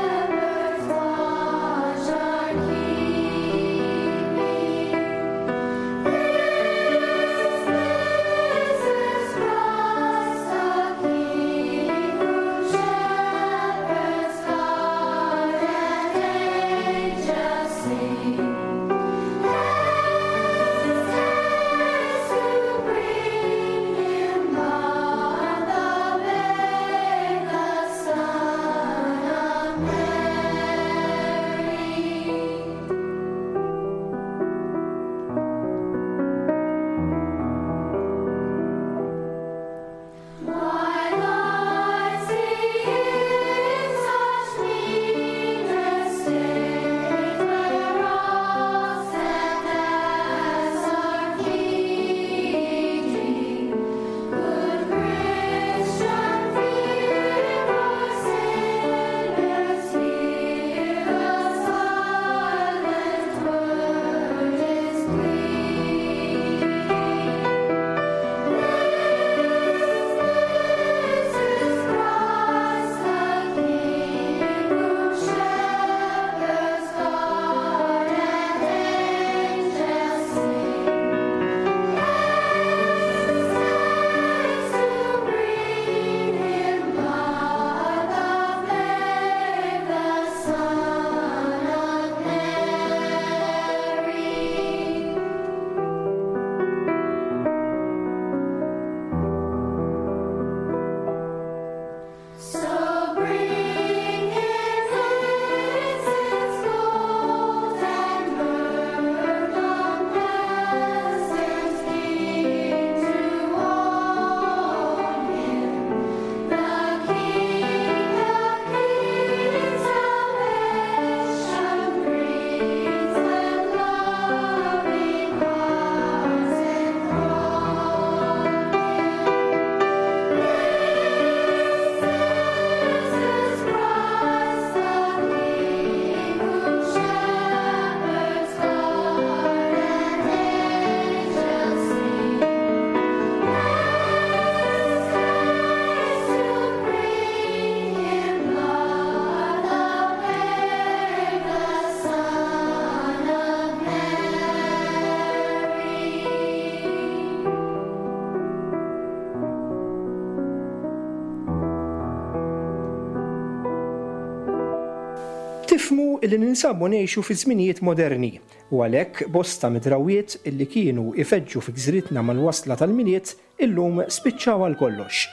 Nifhmu li ninsabu ngħixu fi żminijiet moderni u għalhekk bosta mid-drawwiet illi kienu ifeġġu fi gżiritna mal-wasla tal-Milied illum spiċċaw għal kollox.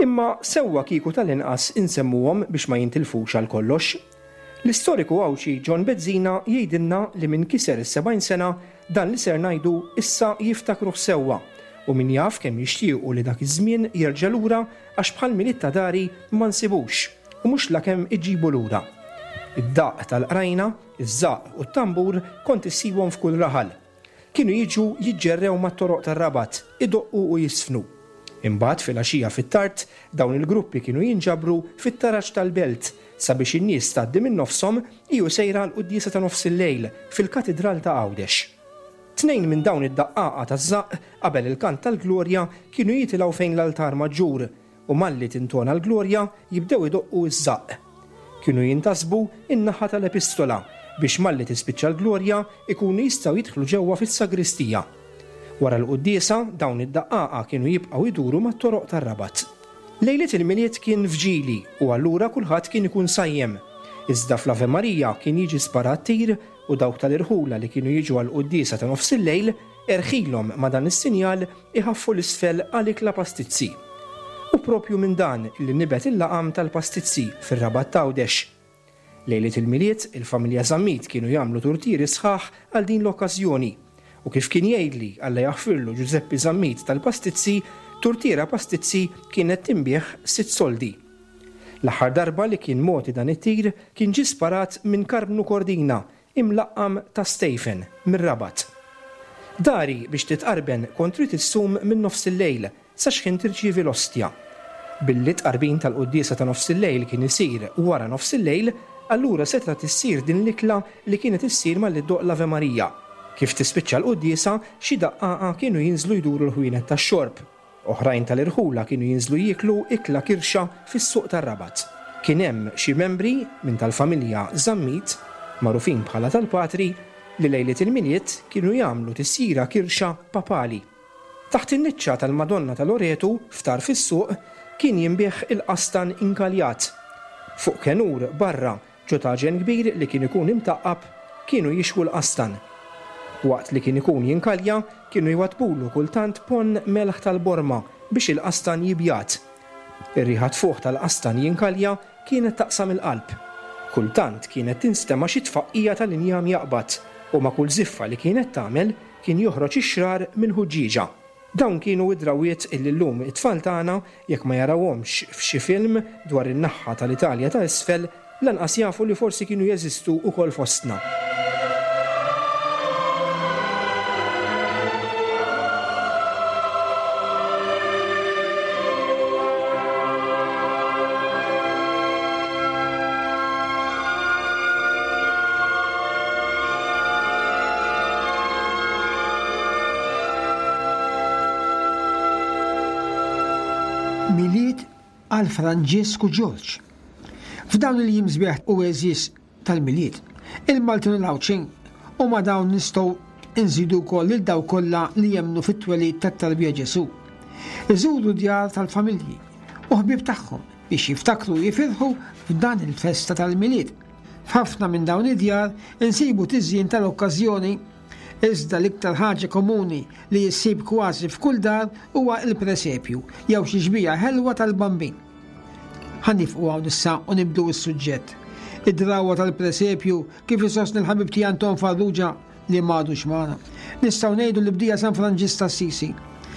Imma sewwa kieku tal-inqas insemmuhom biex ma jintilfux għal kollox. L-istoriku Għawdxi John Bezzina jgħidilna li min kiser is-sebgħin sena dan li ser ngħidu issa jiftakruh sewwa u min jaf kemm jixtiequ li dak iż-żmien jerġa' lura għax bħal Milied ta' dari ma nsibux u mhux lakemm iġibu lura. Id-daqq tal-qrajna, iż-żaqq u t-tambur kont issibhom f'kull raħal. Kienu jiġu jiġġerrew mat-toroq tar-Rabat, idoqqu u jiżfnu. Imbagħad filgħaxija fit-tard dawn il-gruppi kienu jinġabru fit-taraġ tal-belt sabiex in-nies tgħaddi minn nofshom hi u sejra għall-quddiesa ta' nofs il-lejl fil-Katidral ta' Għawdex. Tnejn minn dawn id-daqqaqa taż-żaqq qabel il-kant tal-Glorja kienu jitilgħu fejn l-altar maġġur u malli tintona l-Glorja jibdew idoqqu ż-żaqq. Kienu jintasbu in-naħa tal-Epistola biex malli tispiċċa l-Glorja ikunu jistgħu jidħlu ġewwa fis-sagristija. Wara l-quddiesa dawn id-daqqaqa kienu jibqgħu jduru mat-toroq tar-Rabat. Lejliet il-Milied kien fġili u allura kulħadd kien ikun sajjem. Iżda fl-Ave Maria kien jiġi sparat tir u dawk tal-irħula li kienu jiġu għall-quddiesa ta' nofs il-lejl erħilhom ma' dan is-sinjal iħaffu l-isfel għal ikla pastizzi. U propju minn dan li nibet il-laqam tal-pastizzi fir-Rabat t'Għawdex. Lejliet il-Milied, il-familja Zammit kienu jagħmlu turtieri sħaħ għal din l-okkażjoni. U kif kien jgħidli Alla jaħfirlu Giuseppe Zammit tal-pastizzi, turtiera pastizzi kienet tinbiegħ sitt soldi. L-aħħar darba li kien mogħti dan it-tir kien ġie sparat minn Karmnu Cordina, imlaqqam ta' Stephen, mir-Rabat. Dari biex titqarben kont trid issum minn nofs il-lejl sa x'ħin tirċievi l-ostja. Billi t-tqarbin tal-quddiesa ta' nofs il-lejl kien isir wara nofs il-lejl, allura setgħet issir din l-ikla li kienet issir malli ddoqq l-Ave Maria. Kif tispiċċa l-quddiesa, xi daqqaqa kienu jinżlu jduru l-ħwienet tax-xorb. Oħrajn tal-irħula kienu jinżlu jieklu ikla kirxa fis-suq tar-Rabat. Kien hemm xi membri minn tal-familja Zammit, magħrufin bħala tal-Patri, li lejliet il-Milied kienu jagħmlu tisjira kirxa papali. Taħt in-niċċa tal-Madonna ta' Loretu, f'tarf is-suq, kien jinbiegħ il-qastan inkaljat. Fuq kenur barra ġo taġen kbir li kien ikun imtaqqab kienu jixwu l-qastan. Waqt li kien ikun jinkalja, kienu jwatbulu kultant ponn melħ tal-borma biex il-qastan jibjat. Ir-riħa tfuħ tal-qastan jinkalja kienet taqsam il-qalb. Kultant kienet tinstema' xi tfaqqija tal-injam jaqbad u ma' kull żiffa li kienet tagħmel kien joħroġ ix-xrar mill-ħuġġieġa. Dawn kienu id-drawiet illi llum it-tfal tagħna jekk ma jarawhomx f'xi film dwar in-naħa tal-Italja ta' isfel lanqas jafu li forsi kienu jeżistu wkoll fostna. Milied għal Franġisku Ġorġ. F'dawn il-jiem sbieħ u għeżież tal-Milied, il-Maltin u l-Għawdxin u ma' dawn nistgħu nżidu wkoll lil dawk kollha li jemmnu fit-twelid tat-tarbija Ġesù. Iżuru djar tal-familji u ħbieb tagħhom biex jiftakru u jifirħu f'dan il-festa tal-Milied. F'ħafna minn dawn id-djar insibu tiżjin tal-okkażjoni, iżda l-iktar ħaġa komuni li jissib kważi f'kull dar huwa l-presepju jew xi xbieha ħelwa tal-bambin. Ħa nifqu hawn issa u nibdu s-suġġett. Id-drawwa tal-presepju kif isostni l-ħabib tiegħi Anton Farrugia li m'għadux magħna. Nistgħu ngħidu li bdija San Franġisk t'Assisi.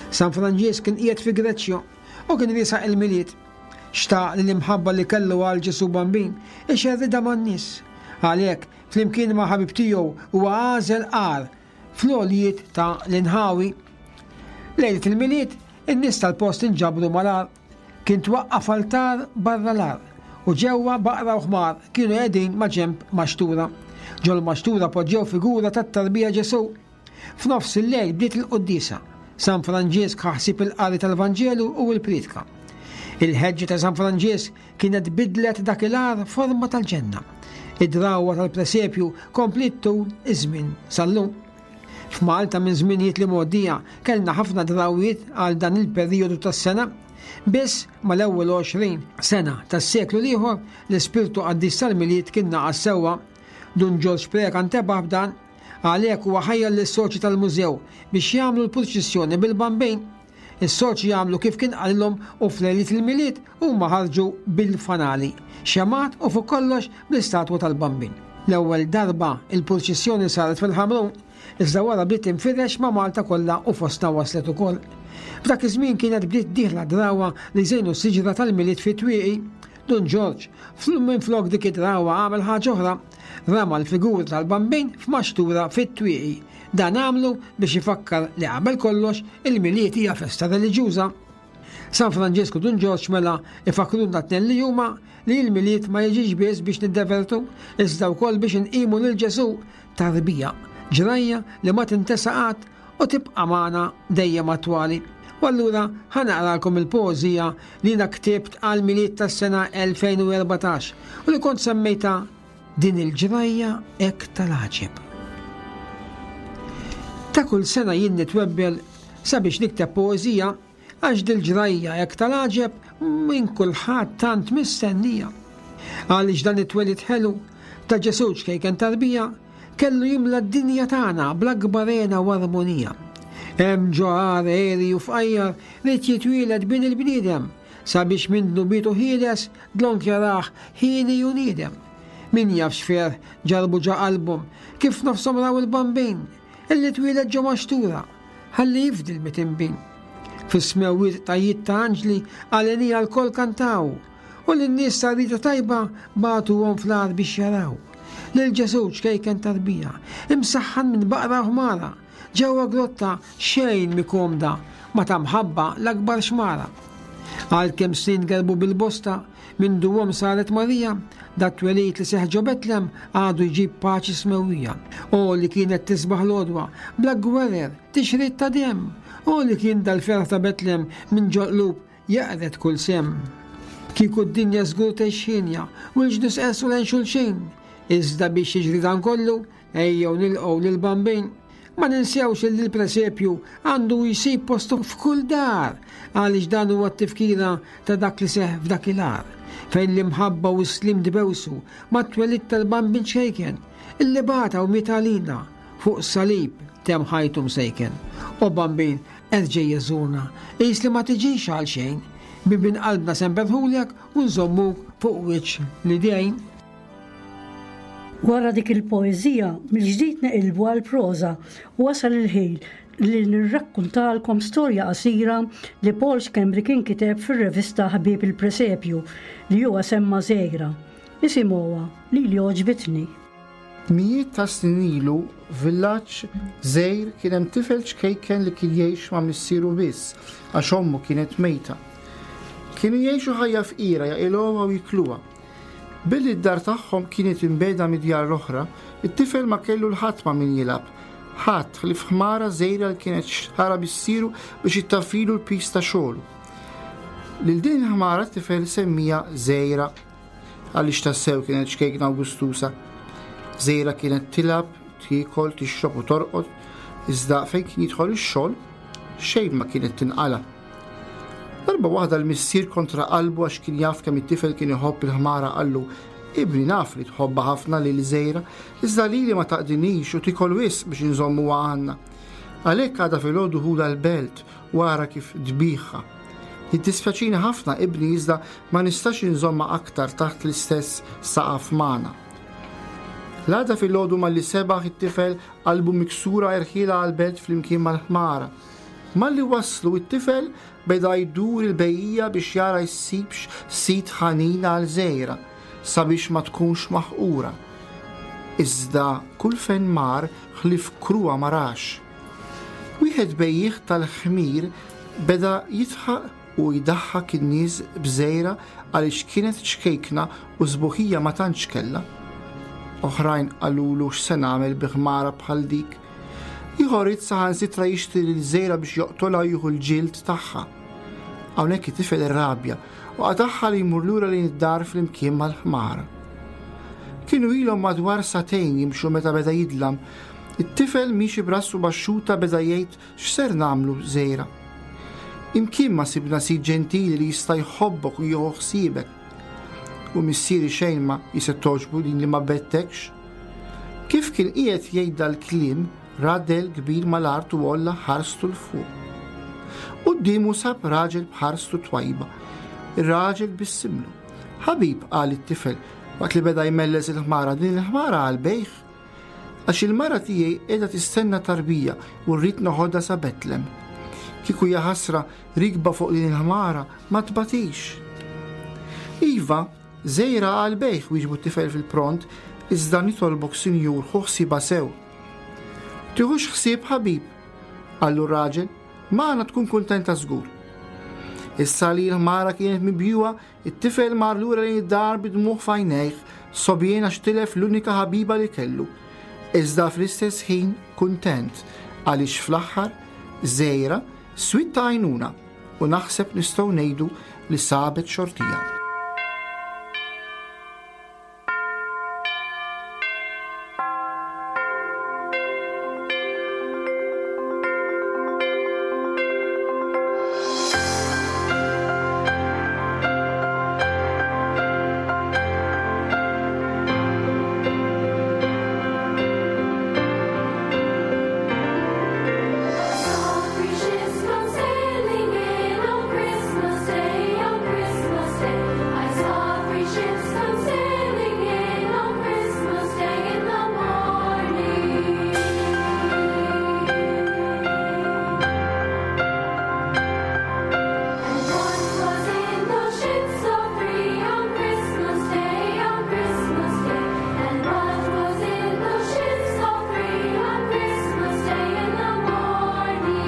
San Franġisk kien qiegħed fi Greċja u kien riesaq il-Milied. Xtaq li l-imħabba li kellu għal Ġesù Bambin ixerridha man-nies. Għalhekk, flimkien ma' ħabib tiegħu huwa għażel għar fl-għoljiet ta' l-inħawi. Lejlet il-Milied, in-nies tal-post inġabru mal-għar. Kien twaqqaf altar barra l-għar u ġewwa baqra u ħmar kienu qegħdin ma' ġenb maxtura. Ġol maxtura poġġew figura tat-tarbija Ġesù. F'nofs il-lejl bdiet il-quddiesa. San Franġisk ħa ħsieb il-qari tal-Vanġelu u l-priedka. Il-ħeġġa ta' San Franġisk kienet bidlet dak il-għar forma tal-ġenna. Id-drawwa tal-presepju kompliet tul iż-żmien sal-lum. F'Malta minn żminijiet li mgħoddija kellna ħafna drawwiet għal dan il-perjodu tas-sena. Biss mal-ewwel għoxrin sena tas-seklu l-ieħor l-ispirtu qaddis tal-Milied kien naqas sewwa. Dun Ġorġ Preca ntebaħ b'dan, għalhekk huwa ħajjar lis-soċji tal-mużew biex jagħmlu l-purċissjoni bil-Bambin. Is-soċji għamlu kif kien qalilhom u f'lejliet il-Milied huma ħarġu bil-fanali, xemgħat u fuq kollox bl-istatwa tal-Bambin. L-ewwel darba il-purċissjoni saret fil-Ħamrun, iżda wara bdiet tinfirex ma' Malta kollha u fostna waslet ukoll. F'dak iż-żmien kienet bdiet dieħla drawwa li jżejnu s-siġra tal-Milied fit-twieqi. Dun Ġorġ, minflok dik id-drawwa għamel ħaġa oħra, rama l-figuri tal-Bambin f'maxtura fit-twieqi. Dan għamlu biex ifakkar li qabel kollox il-Milied hija festa reliġjuża. San Franġisku Dun Ġorġ mela ifakruna t-tnejn li huma li l-Milied ma jiġix biss biex niddevertu, iżda wkoll biex inqimu lil Ġesù tarbija, ġrajja li ma tintesa qatt u tibqa' magħna dejjem attwali. U allura ħa naqralkom il-poeżija li jiena ktibt għal Milied tas-sena elfejn u erbatax u li kont semmejta Din il-ġrajja hekk tal-għaġeb. Ta' kull sena jien nitwebbel sabiex nikteb poeżija għax dil-ġrajja hekk tal-għaġeb minn kulħadd tant mistennija. Għaliex dan it-twelid ħelu ta' Ġesù ċkejken tarbija kellu jimla d-dinja tagħna bl-akbar hena u armonija. Hemm ġo għar għeri u fqajjar ried jitwieled bin il-bniedem sabiex minn dnubietu ħieles dlonk jarah ħieni u niedem. Min jaf x'ferħ ġarbu ġa qalbhom kif nofshom raw il-Bambin illi twieled ġo maxtura ħalli jifdi l-mitinbin. Fis-smewwiet tajjiet ta' anġli għalenija lkoll kantaw u lin-nies ta' rida tajba bagħtuhom fl-għar biex jaraw. Lil Ġesù ċkejken tarbija, imsaħħan minn baqra u ħmara, ġewwa grotta xejn mikomda ma ta' mħabba l-akbar xmara. Għalkemm snin gerbu bil-bosta, minn duhom saret Marija, dat twelid li seħ ġo Betlem għadu jġib paċi smewwija. O li kienet tisbaħ l-għodwa, bla gwerer, tixrid ta' demm. O li kien dal-ferħ ta' Betlem minn ġo qlub jaqret kull sem. Kieku d-dinja żgur tgħix ħienja u l-ġnus qesu lejn xulxin. Iżda biex jiġri dan kollu, ejjew nilqgħu lill-Bambin. Ma ninsewx li l-presepju għandu jsib postu f'kull dar, għaliex dan huwa t-tifkira ta' dak li seħ f'dak il-għar, fejn l-imħabba u s-slim dbewsu mat-twelid tal-Bambin ċejken, illi bata u miet għalina fuq salib tem ħajtu msejken. O Bambin, erġej jeżurna, qis li ma tiġix għal xejn, bibin qalbna semperħulek u nżommuk fuq wiċċ l-idejn. Wara dik il-poeżija, mill-ġdid neqilbu għall-proża u wasal il-ħin li nirrakkuntalkom storja qasira li Paul Schembri kien kiteb fir-revista Ħbieb il-Presepju li huwa semma Żgħira. Isimgħuha li li għoġbitni. Mijiet ta' snin ilu, f'villaġġ żgħir kien hemm tifel ċkejken li kien jgħix ma' missieru biss għax ommu kienet mejta. Kienu jgħixu ħajja fqira jaqilgħuha u jikluha. Billi d-dar tagħhom kienet imbeda mid-djar l-oħra, it-tifel ma kellu l-ħadd ma' min jilgħab. Ħadd ħlief ħmara żgħira li kienet xħara missieru biex ittaffilu l-pis ta' xogħlu. Lil din il-ħmara t-tifel semmija Żgħira għaliex tassew kienet ċkejkna u gustusa. Żgħira kienet tilgħab, tiekol, tixrob u torqod, iżda fejn kien jidħol ix-xogħol xejn ma kienet tinqala. Darba waħda l-missier kontra qalbu għax kien jaf kemm it-tifel kien iħobb il-ħmara qallu, Ibni naf li tħobbha ħafna lil Żgħira, iżda lili ma taqdinix u tikol wisq biex inżommuha għandna. Għalhekk għadha filgħodu ħudha l-belt u ara kif tbigħha. Jiddispjaċini ħafna ibni iżda ma nistax inżomma aktar taħt l-istess saqaf magħna. L-għada filgħodu malli sebaħ it-tifel qalbu miksura erħila għall-belt flimkien mal-ħmara. Malli waslu it-tifel beda jdur il-bejja biex jara jsibx sit ħanin għal Żgħira sabiex ma tkunx maħqura. Iżda kull fejn mar ħlief kruha ma rax. Wieħed bejjieħ tal-ħmir beda jidħaq u jdaħħak in-nies b'Żgħira għaliex kienet ċkejkna u sbuħija ma tantx kellha. Oħrajn qalulu x'se nagħmel bi ħmara bħal dik. Ieħor irid saħansitra jixtri lil Żgħira biex joqtolha u jieħu l-ġild tagħha. Hawnhekk it-tifel irrabja u qatagħha li jmur lura lejn id-dar flimkien mal-ħmara. Kienu ilhom madwar sagħtejn jimxu meta beda jidlam. It-tifel miexi b'rasu baxxuta beda jgħid x'ser nagħmlu żejra. Imkien ma sibna sid ġentili li jista' jħobbok u jieħu ħsiebek. U missieri xejn ma jista' togħġbu din li ma bettekx. Kif kien qiegħed jgħid dal-kliem, ra dell kbir mal-art u għolla ħarstu 'l fuq. Quddiemu sab raġel b'ħarstu twajba. Ir-raġel bissimlu. Ħabib, qal it-tifel, waqt li beda jmelles il-ħmara, din il-ħmara għal-bejħ. Għax il-mara tiegħi qiegħda tistenna tarbija u rrid noħodha sa Betlem. Kieku jaħasra rikba fuq din il-ħmara ma tbatix. Iva, żejra għal-bejħ, wieġbu t-tifel fil-pront, iżda nitolbok sinjur ħu ħsiebha sew. Tiħux ħsieb ħabib, qallu r-raġel, magħna tkun kuntenta żgur. Issa li l-ħmara kienet mibjuha, it-tifel mar lura lejn id-dar bid-dmugħ f'għajnejh, sobjien għax tilef l-unika ħabiba li kellu. Iżda fl-istess ħin kuntent għaliex fl-aħħar żejra swiet ta' għajnuna u naħseb nistgħu ngħidu li sabet xortija. Three ships come sailing in on Christmas Day, on Christmas Day. I saw three ships come sailing in on Christmas Day in the morning. And what was in those ships of three on Christmas Day, on Christmas Day? And what was in those ships of three on Christmas Day in the morning? The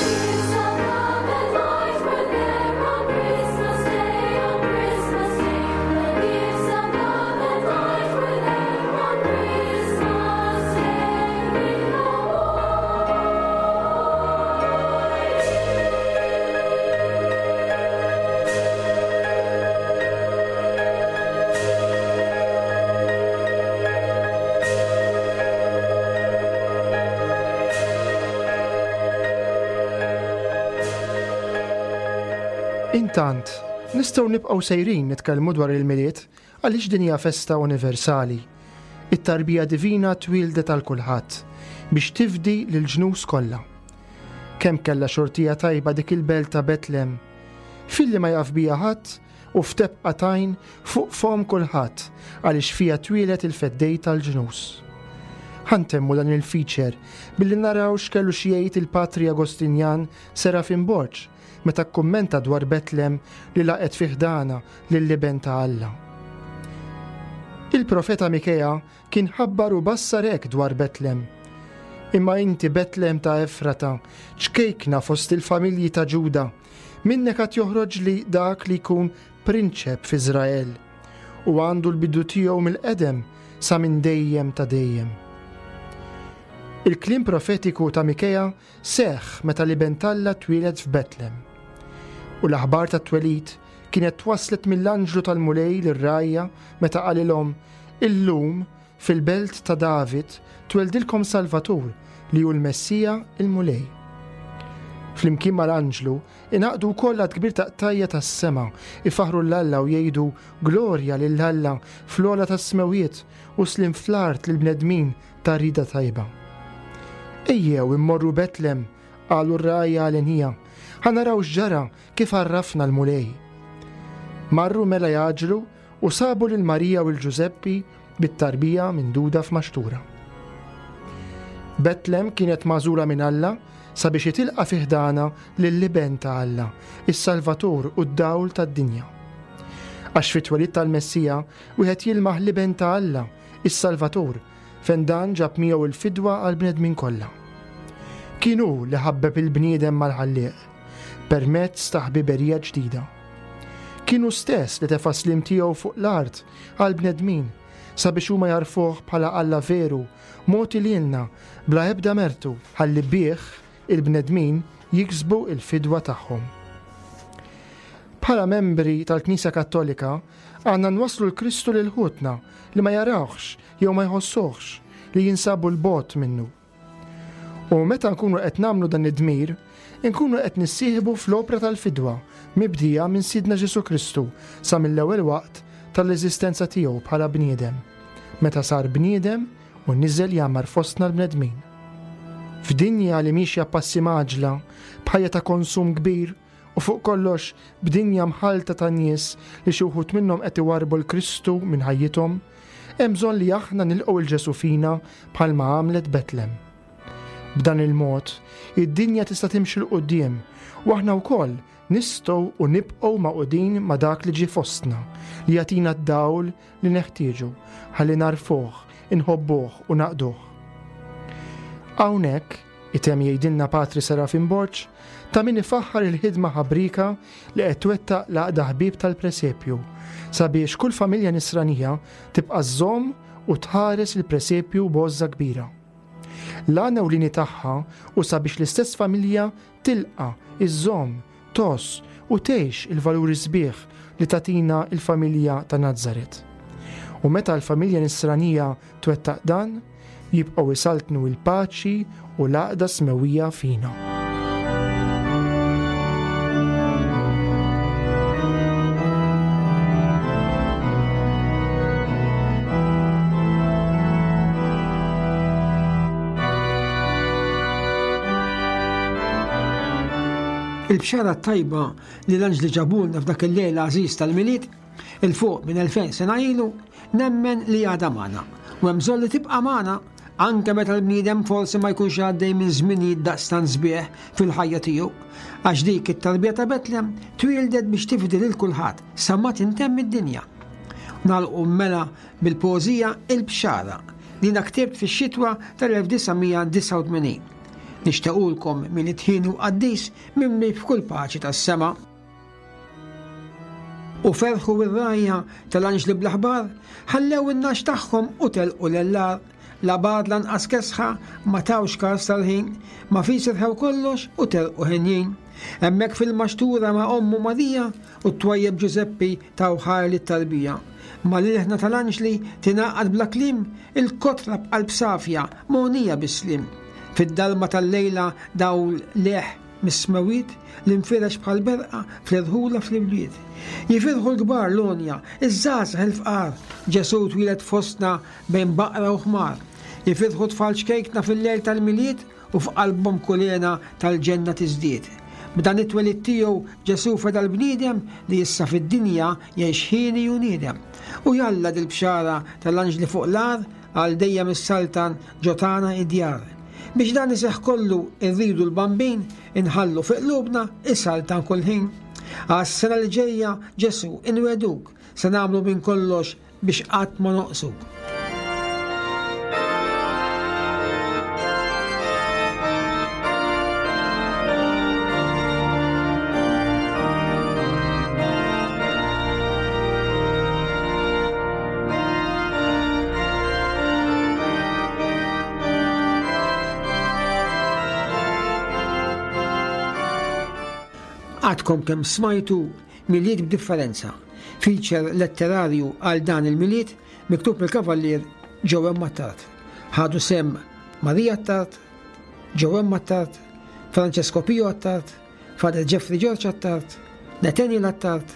gifts of love and light were there on Christmas Day, on Christmas Day. The gifts of love and light were there on Christmas Day in the Intant, nistgħu nibqgħu sejrin nitkellmu dwar il-Milied għaliex din hija festa universali. It-tarbija divina twildet għal kulħadd biex tifdi lil ġnus kollha. Kemm kellha xortija tajba dik il-belt ta' Betlem. Filli ma jaf bija ħadd u f'tebqa tajn fuq fom kulħadd għaliex fija twieled il-feddej tal-ġnus. Ħa ntemmu dan il-feature billi naraw x'kellu xi jgħid il-Patri Agostinjan Serafin Borg meta kkummenta dwar Betlem li laqet fi ħdana lill-iben ta' Alla. Il-profeta Mikea kien ħabbar u bassar hekk dwar Betlem. Imma inti Betlem ta' Efrata, ċkejkna fost il-familji ta' Ġuda, minnek għad joħroġ li dak li jkun prinċep f'Iżrael u għandu l-bidu tiegħu mill-qedem sa minn dejjem ta' dejjem. Il-kliem profetiku ta' Mikea seħħ meta l-iben t'Alla twieled f'Betlem. U l-aħbar tat-twelid kienet twaslet mill-anġlu tal-Mulej lir-rgħajja meta qalilhom illum fil-belt ta' David tweldilkom Salvatur li hu l-Messija il-Mulej. Flimkien mal-anġlu ingħaqdu wkoll għadd kbir ta' qtajja tas-sema ifaħru 'l Alla u jgħidu glorja lil Alla fl-ogħla tas-smewiet u sliem fl-art lill-bnedmin ta' rida tajba. Ejjew immorru Betlem, qalu r-rgħajja għalenija, ħa naraw x'ġara kif għarrafna l-Mulej. Marru mela jgħaġġlu u sabu lil Marija u l-Ġużeppi bit-tarbija minduda f'maxtura. Betlem kienet magħżula minn Alla sabiex jitilqa' fi ħdana lill-iben ta' Alla, is-Salvatur u d-dawl tad-dinja. Għax fit-twelid tal-Messija wieħed jilmaħ l-iben ta' Alla, is-Salvatur, fejn dan ġab miegħu il-fidwa għall-bnedmin kollha. Kien hu li ħabbeb il-bniedem mal-ħallieq permezz ta' ħbiberija ġdida. Kien hu stess li tefa' sliem tiegħu fuq l-art għall-bnedmin sabiex huma jagħrfuh bħala Alla veru, mogħti lilna bla ebda mertu ħalli bih il-bnedmin jiksbu il-fidwa tagħhom. Bħala membri tal-Knisja Kattolika, għandna nwasslu l-Kristu lil ħutna li ma jarawhx jew ma jħossuhx li jinsabu 'l bogħod minnu. U meta nkunu qed nagħmlu dan id-dmir, inkunu qed nissieħbu fl-opra tal-fidwa mibdija minn Sidna Ġesù Kristu sa mill-ewwel waqt tal-eżistenza tiegħu bħala bniedem, meta sar bniedem u niżel jgħammar fostna l-bnedmin. F'dinja li mixja passi mgħaġġla, b'ħajja ta' konsum kbir u fuq kollox b'dinja mħalta ta' nies li xi wħud minnhom qed iwarrbu l-Kristu minn ħajjithom, hemm bżonn li aħna nilqgħu 'l Ġesù fina bħalma għamlet Betlem. B'dan il-mod, id-dinja tista' timxi 'l quddiem u aħna wkoll nistgħu u nibqgħu magħqudin ma' dak li ġie fostna, li jagħtina d-dawl li neħtieġu ħalli nagħrfuh, inħobbuh u naqduh. Hawnhekk, itemm jgħidilna Patri Serafin Borg, ta' min ifaħħar il-ħidma ħabrika li qed twettaq l-Għaqda Ħbieb tal-Presepju sabiex kull familja nisranija tibqa' żżomm u tħares il-presepju b'għożża kbira. L-għan ewlieni tagħha hu sabiex l-istess familja tilqa', iżżomm, tgħożż u tgħix il-valuri sbieħ li tagħtina l-familja ta' Nazaret. U meta l-familja nisranija twettaq dan, jibqgħu isaltnu l-paċi u l-għaqda smewwija fina. Il-bxara tajba li l-anġli ġabulna f'dak il-lejl għażiż tal-Milied, 'il fuq minn elfejn sena ilu, nemmen li għadha magħna. U hemm bżonn li tibqa' magħna anke meta l-bniedem forsi ma jkunx għaddej minn żminijiet daqstant sbieħ fil-ħajja tiegħu, għax dik it-tarbija ta' Betlem twieldet biex tifdi lil kulħadd sa ma tintemm id-dinja. Nagħlqu mela bil-poeżija Il-Bxara li jiena ktibt fix-xitwa tal-elf disa' mija disgħa u tmenin. Nixtiequlkom Milied ħin u qaddis mimli f'kull paċi tas-sema. U ferħu r-rajja tal-anġli bl-aħbar, ħallew in-nax tagħhom u telqu l-ellar, la bad lanqas kesħa, ma tawx każ tal-ħin, ma fis irħew kollox u telqu ħenjin. Hemmhekk fil-maxtura ma' ommu Marija u t-twajjeb Ġużeppi taw ħajr lit-tarbija. Ma l-ilħna tal-anġli tingħaqad bla kliem, il-kotra b'qalb safja, mogħnija bis-slim. Fid-dalma tal-lejla dawl leħ mis-smewwiet li nfirex bħal berqa fl-irħula fl-ibliet. Jifirħu l-kbar l-għonja, iż-żgħażagħ il-fqar, Ġesù twieled fostna bejn baqra u ħmar. Jifirħu tfal ċkejkna fil-lejl tal-Milied u f'qalbhom kulena tal-ġenna tiżdied. B'dan it-twelid tiegħu Ġesù feda l-bniedem li issa fid-dinja jgħix ħieni u niedem. U jalla dil-bxara tal-anġli fuq l-għar għal dejjem is-saltan ġotana id-djar. Biex dan iseħħ kollu irridu l-bambin inħallu fi qlubna is-saltan kull ħin. Għas-sena li ġejja Ġesù inweduk se nagħmlu minn kollox biex qatt ma noqsuk. Għadkom kemm smajtu Milied b'differenza, feature letterarju għal dan il-Milied miktub mill-Kavallier Joe Attard. Ħadu sem Maria Attard, Joe Attard, Francesco Pio Attard, Father Jeffrey George Attard, Nathaniel Attard,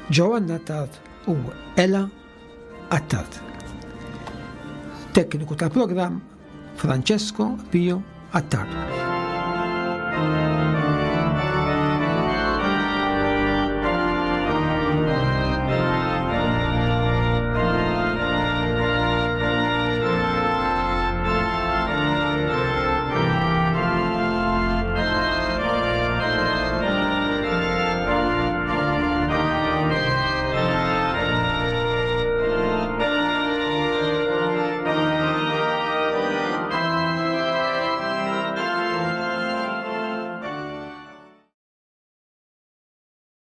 Joanna Attard u Ella Attard. Tekniku tal-programm Francesco Pio Attard.